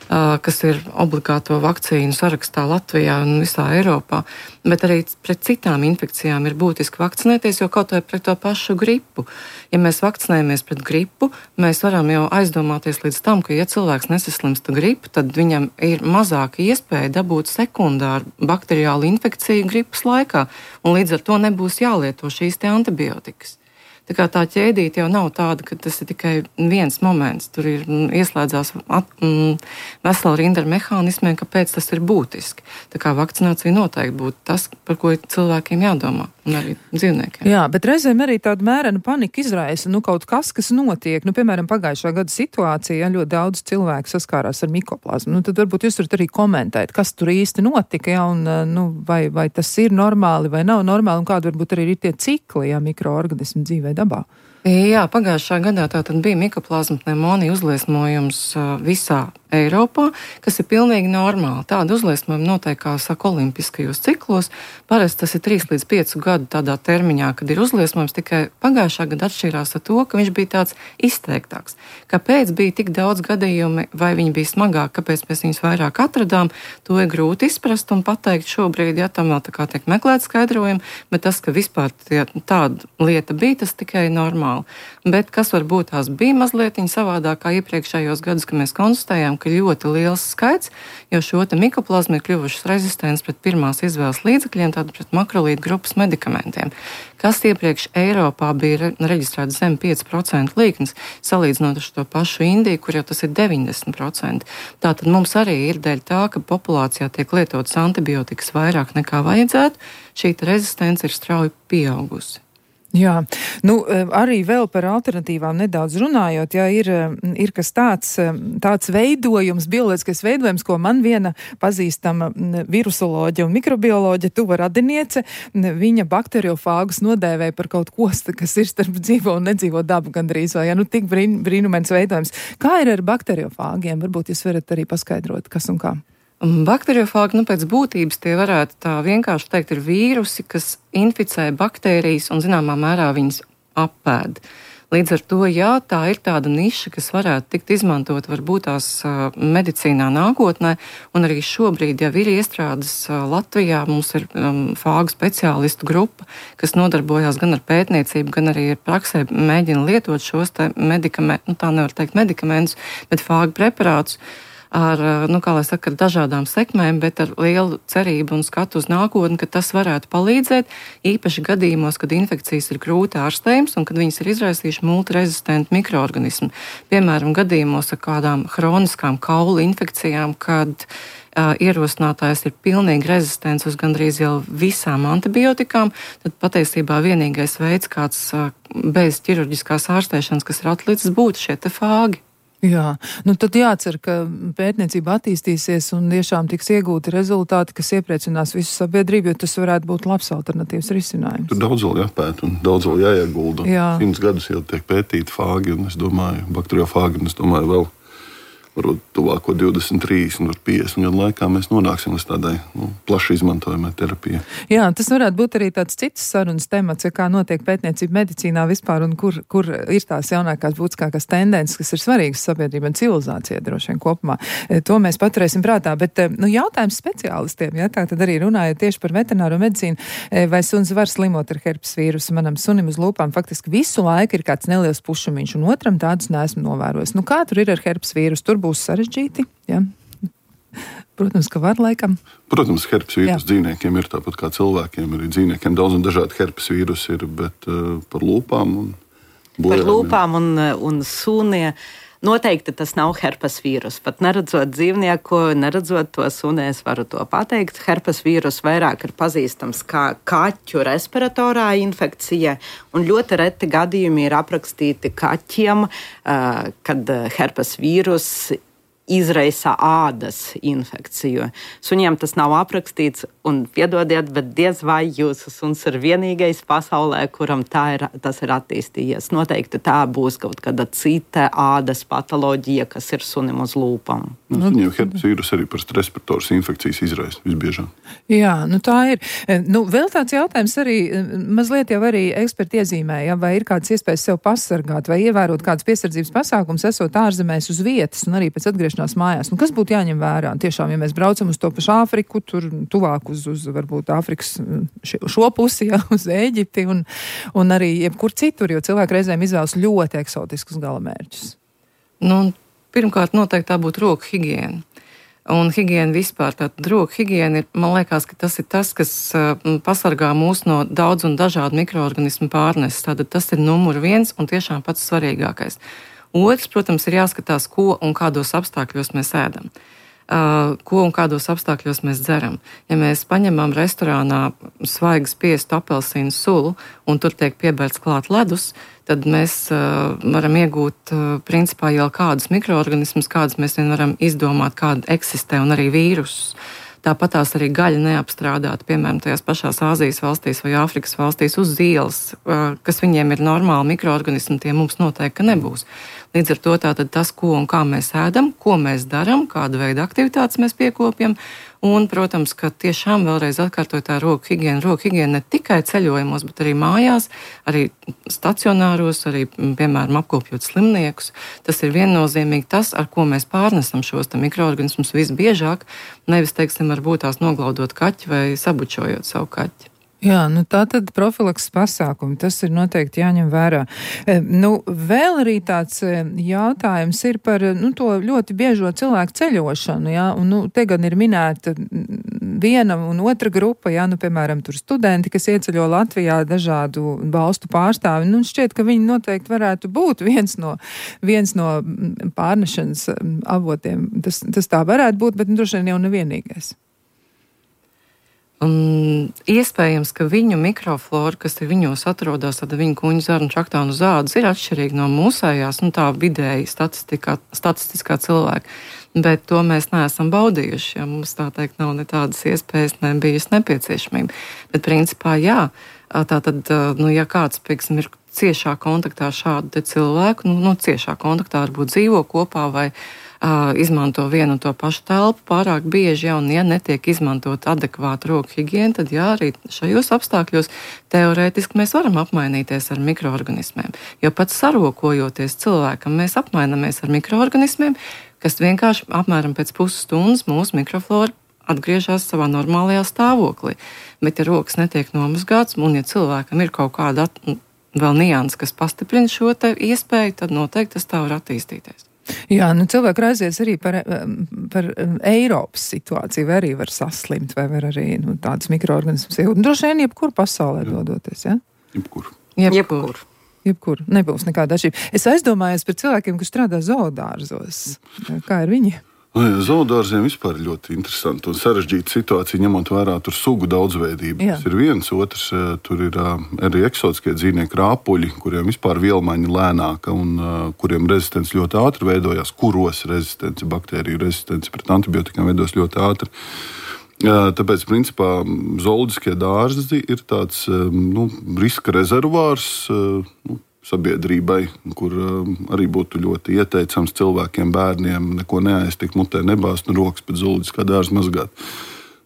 kas ir obligāto vakcīnu sarakstā Latvijā un visā Eiropā. Bet arī pret citām infekcijām ir būtiski vakcinēties, jo kaut vai pret to pašu gripu. Ja mēs vakcinējamies pret gripu, mēs varam jau aizdomāties līdz tam, ka ja cilvēks nesaslimsta gripu, tad viņam ir mazāka iespēja dabūt sekundāru bakteriālu infekciju gripas laikā, un līdz ar to nebūs jālieto šīs te antibiotikas. Tā kā tā ķēdīte jau nav tāda, ka tas ir tikai viens moments. Tur ir ieslēdzās at, mm, vesela rinda ar mehānismiem, kāpēc tas ir būtiski. Tā kā vakcinācija noteikti būtu tas, par ko cilvēkiem jādomā, un arī dzīvniekiem. Jā, bet reizēm arī tāda mērena panika izraisa, nu kaut kas, kas notiek. Nu, piemēram, pagājušā gada situācija, ļoti daudz cilvēku saskārās ar mikoplazmu. Nu, tad varbūt jūs varat arī komentēt, kas tur īsti notika, ja, un nu, vai, vai tas ir normāli vai nav normāli, un kādi varbūt arī ir tie cikli, ja mikroorganismu dzīvē dabā. Jā, pagājušā gadā tātad bija mikoplazma pneimonija uzliesmojums visā Eiropā, kas ir pilnīgi normāli. Tāda uzliesmojuma notiek, kā saka, olimpiskajos ciklos. Parasti tas ir trīs līdz pieci gadu tādā termiņā, kad ir uzliesmojums, tikai pagājušā gada atšķirās ar to, ka viņš bija tāds izteiktāks. Kāpēc bija tik daudz gadījumi, vai viņi bija smagāki, kāpēc mēs viņus vairāk atradām, to ir grūti izprast un pateikt šobrīd, ja tam vēl tā kā tiek meklēt skaidrojumi, bet tas, ka vispār tie, tāda lieta bija, tas tikai normāli. Bet kas varbūt tās bija mazliet savādāk kā iepriekšējos gadus, ka mēs konstatējām, ka ļoti liels skaits, jo šo te mikoplazmu ir kļuvušas rezistents pret pirmās izvēles līdzekļiem, tātad pret makrolīdu grupas medikamentiem, kas iepriekš Eiropā bija reģistrēts zem pieci procenti līknes, salīdzinot ar to pašu Indiju, kur jau tas ir deviņdesmit procenti. Tātad mums arī ir dēļ tā, ka populācijā tiek lietotas antibiotikas vairāk nekā vajadzētu, šī rezistence ir strauji pieaugusi. Jā, nu arī vēl par alternatīvām nedaudz runājot, jā, ir, ir kas tāds, tāds veidojums, bioloģiskais veidojums, ko man viena pazīstama virusoloģija un mikrobioloģija, tuva radiniece, viņa bakteriofāgus nodēvēja par kaut ko, kas ir starp dzīvo un nedzīvo dabu gandrīz, vai, jā, nu tik brīn, brīnumains veidojums. Kā ir ar bakteriofāgiem? Varbūt jūs varat arī paskaidrot, kas un kā. Bakteriofāgi, nu pēc būtības tie varētu tā vienkārši teikt, ir vīrusi, kas inficē baktērijas un zināmā mērā viņas apēd. Līdz ar to, jā, tā ir tāda niša, kas varētu tikt izmantot varbūt tās uh, medicīnā nākotnē, un arī šobrīd jau ir iestrādes uh, Latvijā. Mums ir um, fāgu speciālistu grupa, kas nodarbojās gan ar pētniecību, gan arī ar praksē mēģina lietot šos te medikamentus, nu tā nevar teikt medikamentus, bet fāgu preparātus. Ar, nu, kā lai saka, ar dažādām sekmēm, bet ar lielu cerību un skatu uz nākotni, ka tas varētu palīdzēt, īpaši gadījumos, kad infekcijas ir grūti ārstējums un kad viņas ir izraisījuši multirezistentu mikroorganismu. Piemēram, gadījumos ar kādām hroniskām kaulu infekcijām, kad uh, ierosinātājs ir pilnīgi rezistents uz gandrīz jau visām antibiotikām, tad patiesībā vienīgais veids, kāds uh, bez ķirurģiskās ārstēšanas, kas ir atlicis, būtu šie te fāgi. Jā, nu tad jācer, ka pētniecība attīstīsies un tiešām tiks iegūti rezultāti, kas iepriecinās visu sabiedrību, jo tas varētu būt labs alternatīvs risinājums. Tur daudz vēl jāpēt un daudz vēl jāiegulda. Jā. Simts gadus jau tiek pētīti fāgi, un es domāju, bakteriofāgi, un es domāju vēl varbūt tuvāko divdesmit, trīsdesmit, piecdesmit gadu laikā mēs nonāksim līdz tādai nu, plaši izmantojamai terapijai. Jā, tas varētu būt arī tāds cits sarunas temats, ja kā notiek pētniecība medicīnā vispār un kur, kur ir tās jaunākās būtiskākās tendences, kas ir svarīgas sabiedrībai un civilizācijai droši vien kopumā. To mēs paturēsim prātā, bet nu, jautājums speciālistiem, ja tā tad arī runājot tieši par veterināro medicīnu, vai suns var slimot ar herpes vīrusu, manam sunim uz lūpām faktiski visu laiku ir kāds neliels pušumiņš, un otram tādus neesmu novērojis. Nu, kā tur ir ar herpes vīrusu? Tur būs sarežģīti, ja? Protams, ka var laikam. Protams, herpes vīrus dzīvniekiem ir tāpat kā cilvēkiem. Arī dzīvniekiem daudz un dažādi herpes vīrusi ir, bet uh, par lūpām un bojām. Par lūpām un, un sūnie noteikti tas nav herpes vīrus. Pat neredzot dzīvnieku, neredzot to suni, es varu to pateikt. Herpes vīrus vairāk ir pazīstams kā kaķu respiratorā infekcija, un ļoti reti gadījumi ir aprakstīti kaķiem, uh, kad herpes vīrus izraisa ādas infekciju. Suņiem tas nav aprakstīts, un piedodiet, bet diez vai jūsu suns ir vienīgais pasaulē, kuram tā ir, tas ir attīstījies. Noteikti tā būs kaut kāda cita ādas patoloģija, kas ir sunim uz lūpām. Nu, suņiem herpes vīrus arī par respiratoras infekcijas izraisa visbiežāk. Jā, nu tā ir. Nu, vēl tāds jautājums arī, mazliet jau arī eksperti iezīmēja, vai ir kādas iespējas sev pasargāt, vai ievērot kādas piesardzības pasākums, esot ārzemēs uz vietas, un arī pēc atgriešanās mājās. Nu, kas būtu jāņem vērā? Tiešām, ja mēs braucam uz to pašu Āfriku, tur tuvāk uz, uz varbūt Āfrikas šo pusi, jā, uz Ēģipti un, un arī jebkur citur, jo cilvēki reizēm izvēlas ļoti eksotiskus galamērķus. Nu, pirmkārt, noteikti tā būtu roku higiēna. Un higiēna vispār, tātad roku higiēna ir, man liekas, ka tas ir tas, kas uh, pasargā mūs no daudz un dažādu mikroorganismu pārneses. Tātad tas ir numur viens un tiešām pats svarīgākais. Otrs, protams, ir jāskatās, ko un kādos apstākļos mēs ēdam, uh, ko un kādos apstākļos mēs dzeram. Ja mēs paņemam restorānā svaigas spiestu apelsīnu sulu un tur tiek piebērts klāt ledus, tad mēs uh, varam iegūt uh, principā jau kādus mikroorganismus, kādus mēs vien varam izdomāt, kādi eksistē, un arī vīrusus. Tāpat tās arī gaļa neapstrādāta, piemēram, tajās pašās Āzijas valstīs vai Āfrikas valstīs uz ielas, kas viņiem ir normāli mikroorganismi, tie mums noteikti nebūs. Līdz ar to tātad tas, ko un kā mēs ēdam, ko mēs darām, kādu veidu aktivitātes mēs piekopjam, un, protams, ka tiešām vēlreiz atkārtoju tā roku higiēna, roku higiēna ne tikai ceļojumos, bet arī mājās, arī stacionāros, arī, piemēram, apkopjot slimniekus. Tas ir viennozīmīgi tas, ar ko mēs pārnesam šos mikroorganismus visbiežāk, nevis, teiksim, varbūt tās noglaudot kaķi vai sabučojot savu kaķi. Jā, nu tā tad profilakses pasākumi, tas ir noteikti jāņem vērā. E, nu, vēl arī tāds jautājums ir par, nu, to ļoti biežo cilvēku ceļošanu, jā, un, nu, te gan ir minēta viena un otra grupa, jā, nu, piemēram, tur studenti, kas ieceļo Latvijā, dažādu valstu pārstāvi, nu, šķiet, ka viņi noteikti varētu būt viens no, viens no pārnešanas avotiem. Tas, tas tā varētu būt, bet, nu, droši vien jau nevienīgais. Un iespējams, ka viņu mikroflora, kas ir viņos atrodas, tad viņu kuņu zarnu čaktānu zādas ir atšķirīga no mūsējās, nu tā vidēji statistiskā cilvēka. Bet to mēs neesam baudījuši, ja mums tā teikt nav ne tādas iespējas, ne bijusi nepieciešamība. Bet principā jā, tā tad, nu ja kāds, pieksim, ir ciešā kontaktā šādu te cilvēku, nu, nu ciešā kontaktā varbūt dzīvo kopā vai Uh, izmanto vienu un to pašu telpu pārāk bieži, ja, un ja netiek izmantot adekvāta roku higiēna, tad jā, arī šajos apstākļos teorētiski mēs varam apmainīties ar mikroorganismiem. Jo pats sarokojoties cilvēkam, mēs apmainamies ar mikroorganismiem, kas vienkārši apmēram pēc pusstundas mūsu mikroflora atgriežas savā normālajā stāvoklī. Bet ja rokas netiek nomazgāts, un ja cilvēkam ir kaut kāda at, vēl nianses, kas pastiprina šo te iespēju, tad noteikti tas tā var attīstīties. Jā, nu cilvēki raizies arī par, par Eiropas situāciju, vai arī var saslimt, vai var arī nu, tādas mikroorganismas iegūt. Droši vien jebkur pasaulē jā. Dodoties, jā? Jebkur. Jebkur. Jebkur. Nebūs nekāda atšķirība. Es aizdomājos par cilvēkiem, kas strādā zoodārzos. Kā ir viņi? Zoodārziem vispār ir ļoti interesanti un sarežģīta situācija, ņemot vērā tur sugu daudzveidību. Jā. Tas ir viens, otrs, tur ir arī eksotiskie dzīvnieki, rāpuļi, kuriem vispār vielmaiņa lēnāka un kuriem rezistence ļoti ātri veidojās, kuros rezistence, baktēriju rezistence pret antibiotikām veidos ļoti ātri. Tāpēc, principā, zooloģiskie dārzi ir tāds nu, riska rezervārs nu, sabiedrībai, kur uh, arī būtu ļoti ieteicams cilvēkiem, bērniem neko neaiztikt, mutē nebāzt un rokas pēc zooloģiskā dārza mazgāt.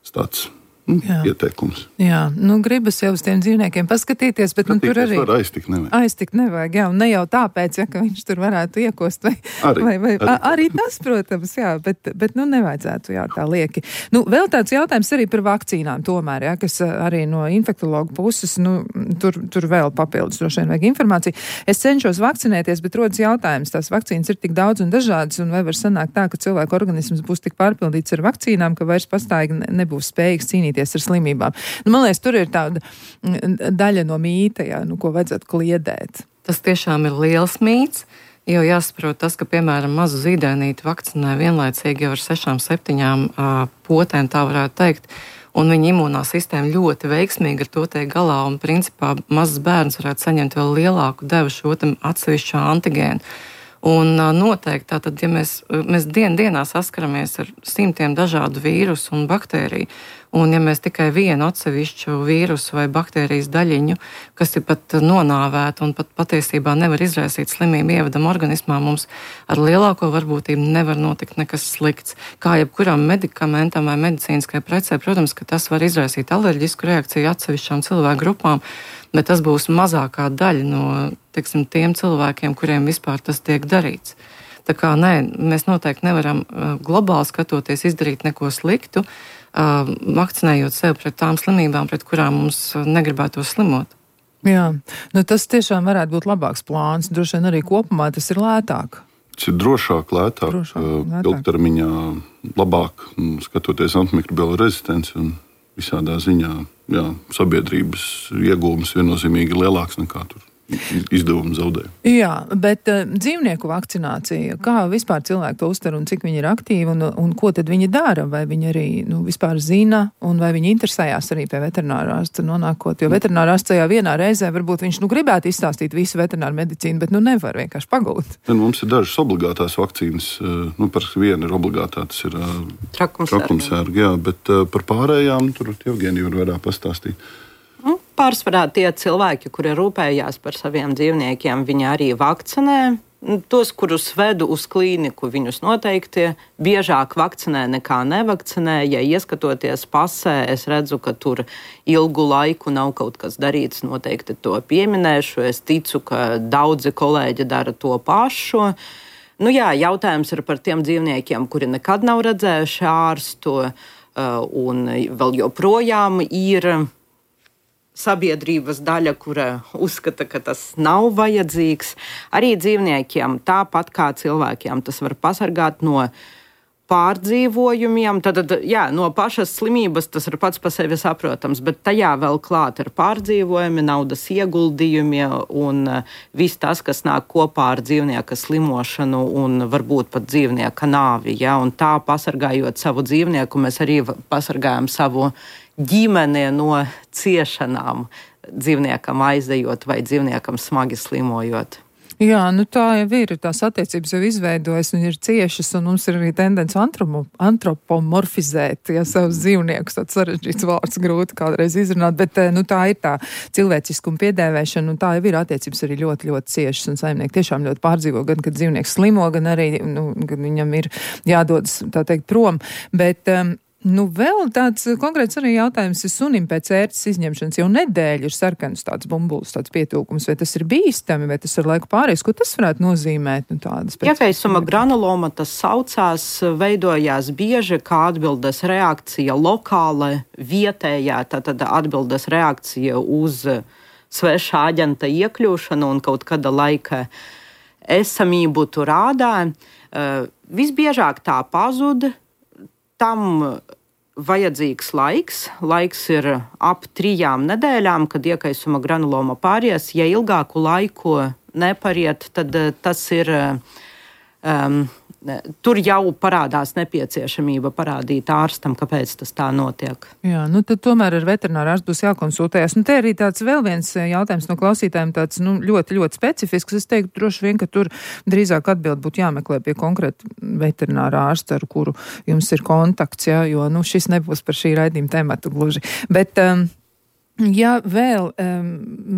Tas tāds nu, ieteikums. Jā, nu gribas jau uz tiem dzīvniekiem paskatīties, bet nu, tur arī... aiztikt nevajag. Aiztikt nevajag, jā, un ne jau tāpēc, ja, ka viņš tur varētu iekost, vai arī, vai, vai, arī. arī tas, protams, jā, bet, bet nu nevajadzētu, jā, tā lieki. Nu, vēl tāds jautājums arī par vakcīnām tomēr, jā, kas arī no infektologu puses, nu, tur, tur vēl papildus droši vien vajag informāciju. Es cenšos vakcinēties, bet rodas jautājums, tās vakcīnas ir tik daudz un dažādas, un vai var sanākt tā, ka cilvēku organisms būs tik pārpildīts ar vakcīnām, ka vairs pastāvīgi nebūs spējīgs cīnīties ar slimībām. Nu, man liekas, tur ir tāda daļa no mīta, jā, nu, ko vajadzētu kliedēt. Tas tiešām ir liels mīts, jo jāsaprot tas, ka, piemēram, mazu zīdainīti vakcinē vienlaicīgi jau ar sešām, septiņām uh, potēm, tā varētu teikt, un viņa imūnā sistēma ļoti veiksmīgi ar to tiek galā, un principā mazs bērns varētu saņemt vēl lielāku devu šo atsevišķo antigēnu. Un noteikti, tātad, ja mēs, mēs dien dienā saskaramies ar simtiem dažādu vīrusu un baktēriju, un ja mēs tikai vienu atsevišķu vīrusu vai baktērijas daļiņu, kas ir pat nonāvēta un pat patiesībā nevar izraisīt slimību ievedam organismā, mums ar lielāko varbūtību nevar notikt nekas slikts. Kā jebkuram medikamentam vai medicīniskai precē, protams, ka tas var izraisīt alerģisku reakciju atsevišķām cilvēku grupām, bet tas būs mazākā daļa no, teiksim, tiem cilvēkiem, kuriem vispār tas tiek darīts. Tā kā nē, mēs noteikti nevaram uh, globāli skatoties izdarīt neko sliktu, uh, vakcinējot sev pret tām slimībām, pret kurām mums negribētos slimot. Jā, nu tas tiešām varētu būt labāks plāns, droši vien arī kopumā tas ir lētāk. Tas ir drošāk, lētāk, drošāk, lētāk. ilgtermiņā labāk, skatoties antimikrobiālo rezistenci un visādā ziņā, jā, sabiedrības iegūmas viennozīmīgi lielāks nekā tur izdevumu zaudē. Jā, bet uh, dzīvnieku vakcinācija, kā vispār cilvēki to uztver un cik viņi ir aktīvi un, un ko tad viņi dara? Vai viņi arī nu, vispār zina un vai viņi interesējās arī pie veterinārārsta nonākot? Jo veterinārārsts tajā vienā reizē varbūt viņš nu gribētu izstāstīt visu veterināru medicīnu, bet nu nevar vienkārši pagūt. Ja, mums ir dažas obligātās vakcīnas, nu par vienu ir obligātā, tas ir trakumsērga, jā, bet uh, par pārējām tur Evgenija var vairāk pastāstīt. Pārsvarā tie cilvēki, kuri rūpējās par saviem dzīvniekiem, viņi arī vakcinē. Tos, kurus vedu uz klīniku, viņus noteikti biežāk vakcinē nekā nevakcinē. Ja ieskatoties pasē, es redzu, ka tur ilgu laiku nav kaut kas darīts, noteikti to pieminēšu. Es ticu, ka daudzi kolēģi dara to pašu. Nu jā, jautājums ir par tiem dzīvniekiem, kuri nekad nav redzējuši ārstu, un vēl joprojām ir sabiedrības daļa, kura uzskata, ka tas nav vajadzīgs. Arī dzīvniekiem, tāpat kā cilvēkiem, tas var pasargāt no pārdzīvojumiem. Tad, jā, no pašas slimības tas ir pats par sevi saprotams, bet tajā vēl klāt ir pārdzīvojumi, naudas ieguldījumi un viss tas, kas nāk kopā ar dzīvnieka slimošanu un varbūt pat dzīvnieka nāvi. Ja? Un tā, pasargājot savu dzīvnieku, mēs arī pasargājam savu ģimene no ciešanām, dzīvniekam aizejot vai dzīvniekam smagi slimojot. Jā, nu tā jau ir, tās attiecības jau izveidojas un ir ciešas, un mums ir arī tendence antropo, antropomorfizēt, ja savus dzīvniekus, tāds sarežģīts vārds grūti kādreiz izrunāt, bet nu, tā ir tā cilvēciskuma piedēvēšana, un tā jau ir attiecības arī ļoti, ļoti ciešas, un saimnieki tiešām ļoti pārdzīvo, gan, kad dzīvnieks slimo, gan arī, nu, gan viņam ir jādodas, tā teikt, prom, bet um, nu, vēl tāds konkrēts arī jautājums ir sunim pēc ērces izņemšanas. Jau nedēļu ir sarkans tāds bumbulis, tāds pietūkums. Vai tas ir bīstami, vai tas ar laiku pāries? Ko tas varētu nozīmēt? Nu, tādas pēc... Iekaisuma granuloma tas saucās, veidojās bieži kā atbildes reakcija lokāla, vietējā, tātad atbildes reakcija uz svešā aģenta iekļūšanu un kaut kāda laika esamību tur ādā. Uh, visbiežāk tā pazud. Tam vajadzīgs laiks. Laiks ir ap trijām nedēļām, kad iekaisuma granuloma pāries. Ja ilgāku laiku nepariet, tad tas ir um, tur jau parādās nepieciešamība parādīt ārstam, kāpēc tas tā notiek. Jā, nu tad tomēr ar veterināru ārstu būs jākonsultējas. Nu te arī tāds vēl viens jautājums no klausītājiem, tāds nu, ļoti, ļoti specifisks. Es teiktu droši vien, ka tur drīzāk atbild būtu jāmeklē pie konkrēta veterinārā ārsta, ar kuru jums ir kontakts, jā, jo nu, šis nebūs par šī raidījuma tematu gluži. Bet, um, ja vēl um,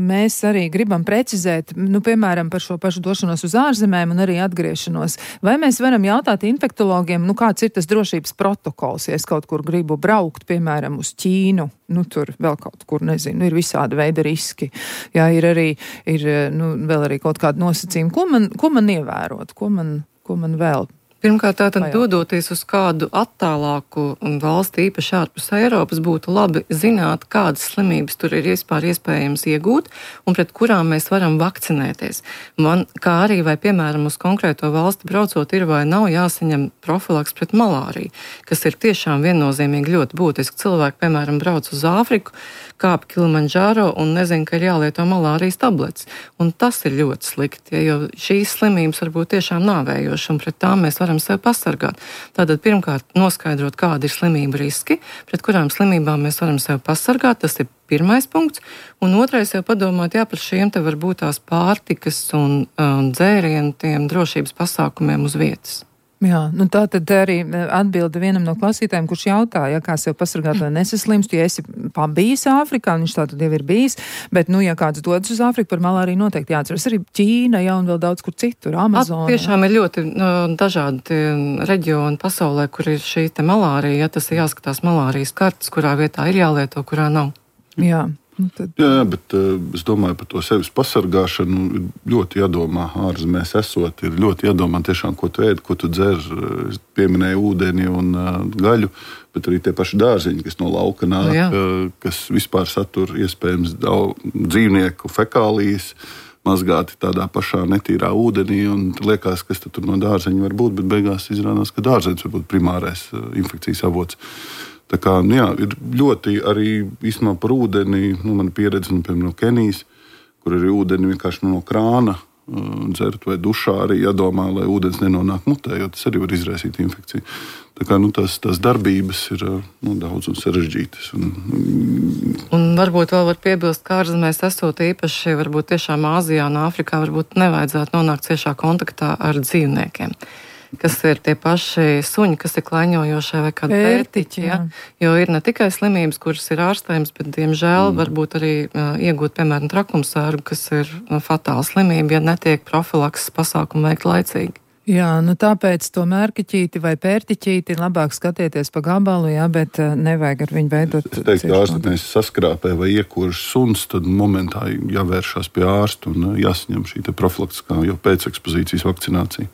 mēs arī gribam precizēt, nu, piemēram, par šo pašu došanos uz ārzemēm un arī atgriešanos, vai mēs varam jautāt infektologiem, nu, kāds ir tas drošības protokols, ja es kaut kur gribu braukt, piemēram, uz Ķīnu, nu, tur vēl kaut kur, nezinu, ir visādi veidi riski, jā, ir arī, ir, nu, vēl arī kaut kādi nosacījumi, ko man, ko man ievērot, ko man, ko man vēl Pirmkārt, tātad dodoties uz kādu attālāku valsti, īpaši ārpus Eiropas, būtu labi zināt, kādas slimības tur ir vispār iespējams iegūt un pret kurām mēs varam vakcinēties. Man, kā arī vai, piemēram, uz konkrēto valsti braucot ir vai nav jāsaņem profilaks pret malāriju, kas ir tiešām viennozīmīgi ļoti būtiski. Cilvēki, piemēram, brauc uz Āfriku, kāp Kilimandžāro un nezinu, ka ir jālieto malārijas tabletes. Un tas ir ļoti slikti, jo šīs slimības var būt tiešām nāvējošas un pret tām mēs varam sevi pasargāt. Tātad pirmkārt noskaidrot, kādi ir slimību riski, pret kurām slimībām mēs varam sevi pasargāt, tas ir pirmais punkts, un otrais jau padomāt, jā, par šiem te var būt tās pārtikas un, un dzērienu tiem drošības pasākumiem uz vietas. Jā, nu tā tad arī atbilda vienam no klausītājiem, kurš jautāja, ja kā sev pasargāt, lai nesaslimst, ja esi pabijis Āfrikā, viņš tā tad jau ir bijis, bet, nu, ja kāds dodas uz Āfriku, par malāriju noteikti jāatceras arī Ķīna, ja, un vēl daudz kur citur, Amazona. At, tiešām ir ļoti no, dažādi reģioni pasaulē, kur ir šī te malārija, ja tas ir jāskatās malārijas kartes, kurā vietā ir jālieto, kurā nav. Jā. Nu, tad... Jā, bet uh, es domāju par to sevis pasargāšanu. Ir ļoti jādomā ārzemēs esot, ir ļoti jādomā tiešām, ko tu ēd, ko tu dzer. Es pieminēju ūdeni un uh, gaļu, bet arī tie paši dārziņi, kas no lauka nāk, uh, kas vispār satur iespējams daudz dzīvnieku fekālijas, mazgāti tādā pašā netīrā ūdenī, un liekas, kas tur no dārzeņa var būt, bet beigās izrādās, ka dārzeņš var būt primārais uh, infekcijas avots. Tā kā, nu jā, ir ļoti arī īstenībā par ūdeni, nu, man pieredze, nu, piemēram, no Kenijas, kur arī ūdeni vienkārši no krāna uh, dzert vai dušā arī jādomā, lai ūdens nenonāk mutē, jo tas arī var izraisīt infekciju. Tā kā, nu, tās, tās darbības ir nu, daudz un sarežģītas. Un, un varbūt vēl var piebilst, ka ārzemēs esot īpaši, varbūt tiešām Āzijā un Āfrikā varbūt nevajadzētu nonākt ciešā kontaktā ar dzīvniekiem, kas ir tie paši suņi, kas ir klaiņojošie vai kādi pērtiķi, ja? Jo ir ne tikai slimības, kuras ir ārstējums, bet, diemžēl, mm. varbūt arī uh, iegūt, piemēram, trakumsērgu, kas ir uh, fatāla slimība, ja netiek profilakses pasākumu veikt laicīgi. Jā, nu tāpēc to mērkiķīti vai pērtiķīti labāk skatieties pa gabalu, jā, bet uh, nevajag ar viņu veidot. Es teiktu, ka ārstnieks saskrāpē vai iekuras suns, tad momentā jāvēršās pie ārsta un jāsaņem šī te profilaktiskā jau pēcekspozīcijas vakcinācija.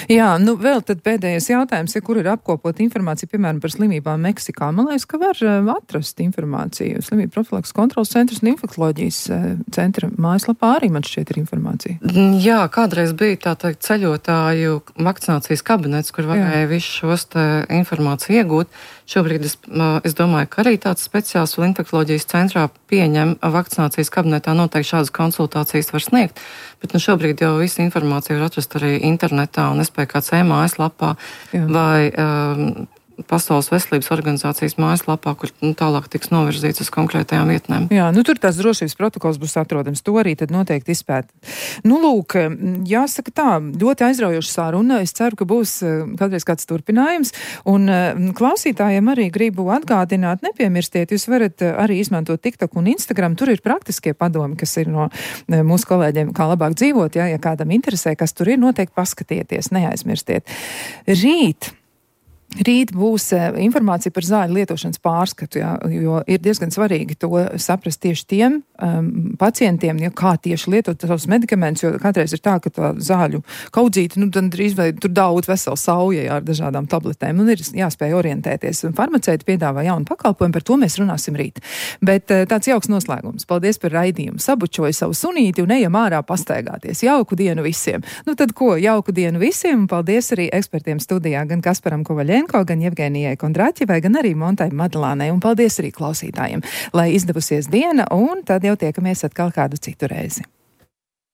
Jā, nu vēl tad pēdējais jautājums, ja kur ir apkopot informāciju, piemēram, par slimībām Meksikā. Man liekas, ka var uh, atrast informāciju. Slimību profilakses kontrolas centrs un infektoloģijas uh, centra mājaslapā arī man šķiet ir informācija. Jā, kādreiz bija tā teikt ceļotāju vakcinācijas kabinets, kur varēja visu šos te informāciju iegūt. Šobrīd es, es domāju, ka arī tāds speciāls vēl infektoloģijas centrā pieņem vakcinācijas kabinetā noteikti šādas konsultācijas var sniegt, bet nu šobrīd jau visu informāciju var atrast arī internetā un S P K C mājaslapā vai um, Pasaules veselības organizācijas mājaslapā, kur nu, tālāk tiks novirzīts uz konkrētajām vietnēm. Jā, nu tur tās drošības protokols būs atrodams. To arī tad noteikti izpēt. Nu, lūk, jāsaka tā, ļoti aizraujoša saruna. Es ceru, ka būs kādreiz kāds turpinājums. Un klausītājiem arī gribu atgādināt, nepiemirstiet, jūs varat arī izmantot TikTok un Instagram. Tur ir praktiskie padomi, kas ir no mūsu kolēģiem, kā labāk dzīvot. Ja, ja kādam interesē, kas tur ir, noteikti paskatieties, neaizmirstiet. Rīt. Rīt būs informācija par zāļu lietošanas pārskatu, jā, jo ir diezgan svarīgi to saprast tieši tiem um, pacientiem, ja, kā tieši lietot savus medikamentus, jo kādreiz ir tā, ka tā zāļu kaudzīte, nu, tad drīz vai tur daudz vesela sauja jā, ar dažādām tabletēm, un ir jāspēj orientēties. Farmaceiti piedāvā jaunu pakalpojumu, par to mēs runāsim rīt. Bet tāds jauks noslēgums. Paldies par raidījumu. Sabučoju savu sunīti un ejam ārā pastaigāties. Jauku dienu visiem. Nu tad ko, jauku dienu visiem, un paldies arī ekspertiem studijā, gan Kasparam Kovaļenko, gan Jevgenijai Kondraķevai, gan arī Montai Madlānai, un paldies arī klausītājiem, lai izdevusies diena, un tad jau tiekamies atkal kādu citu reizi.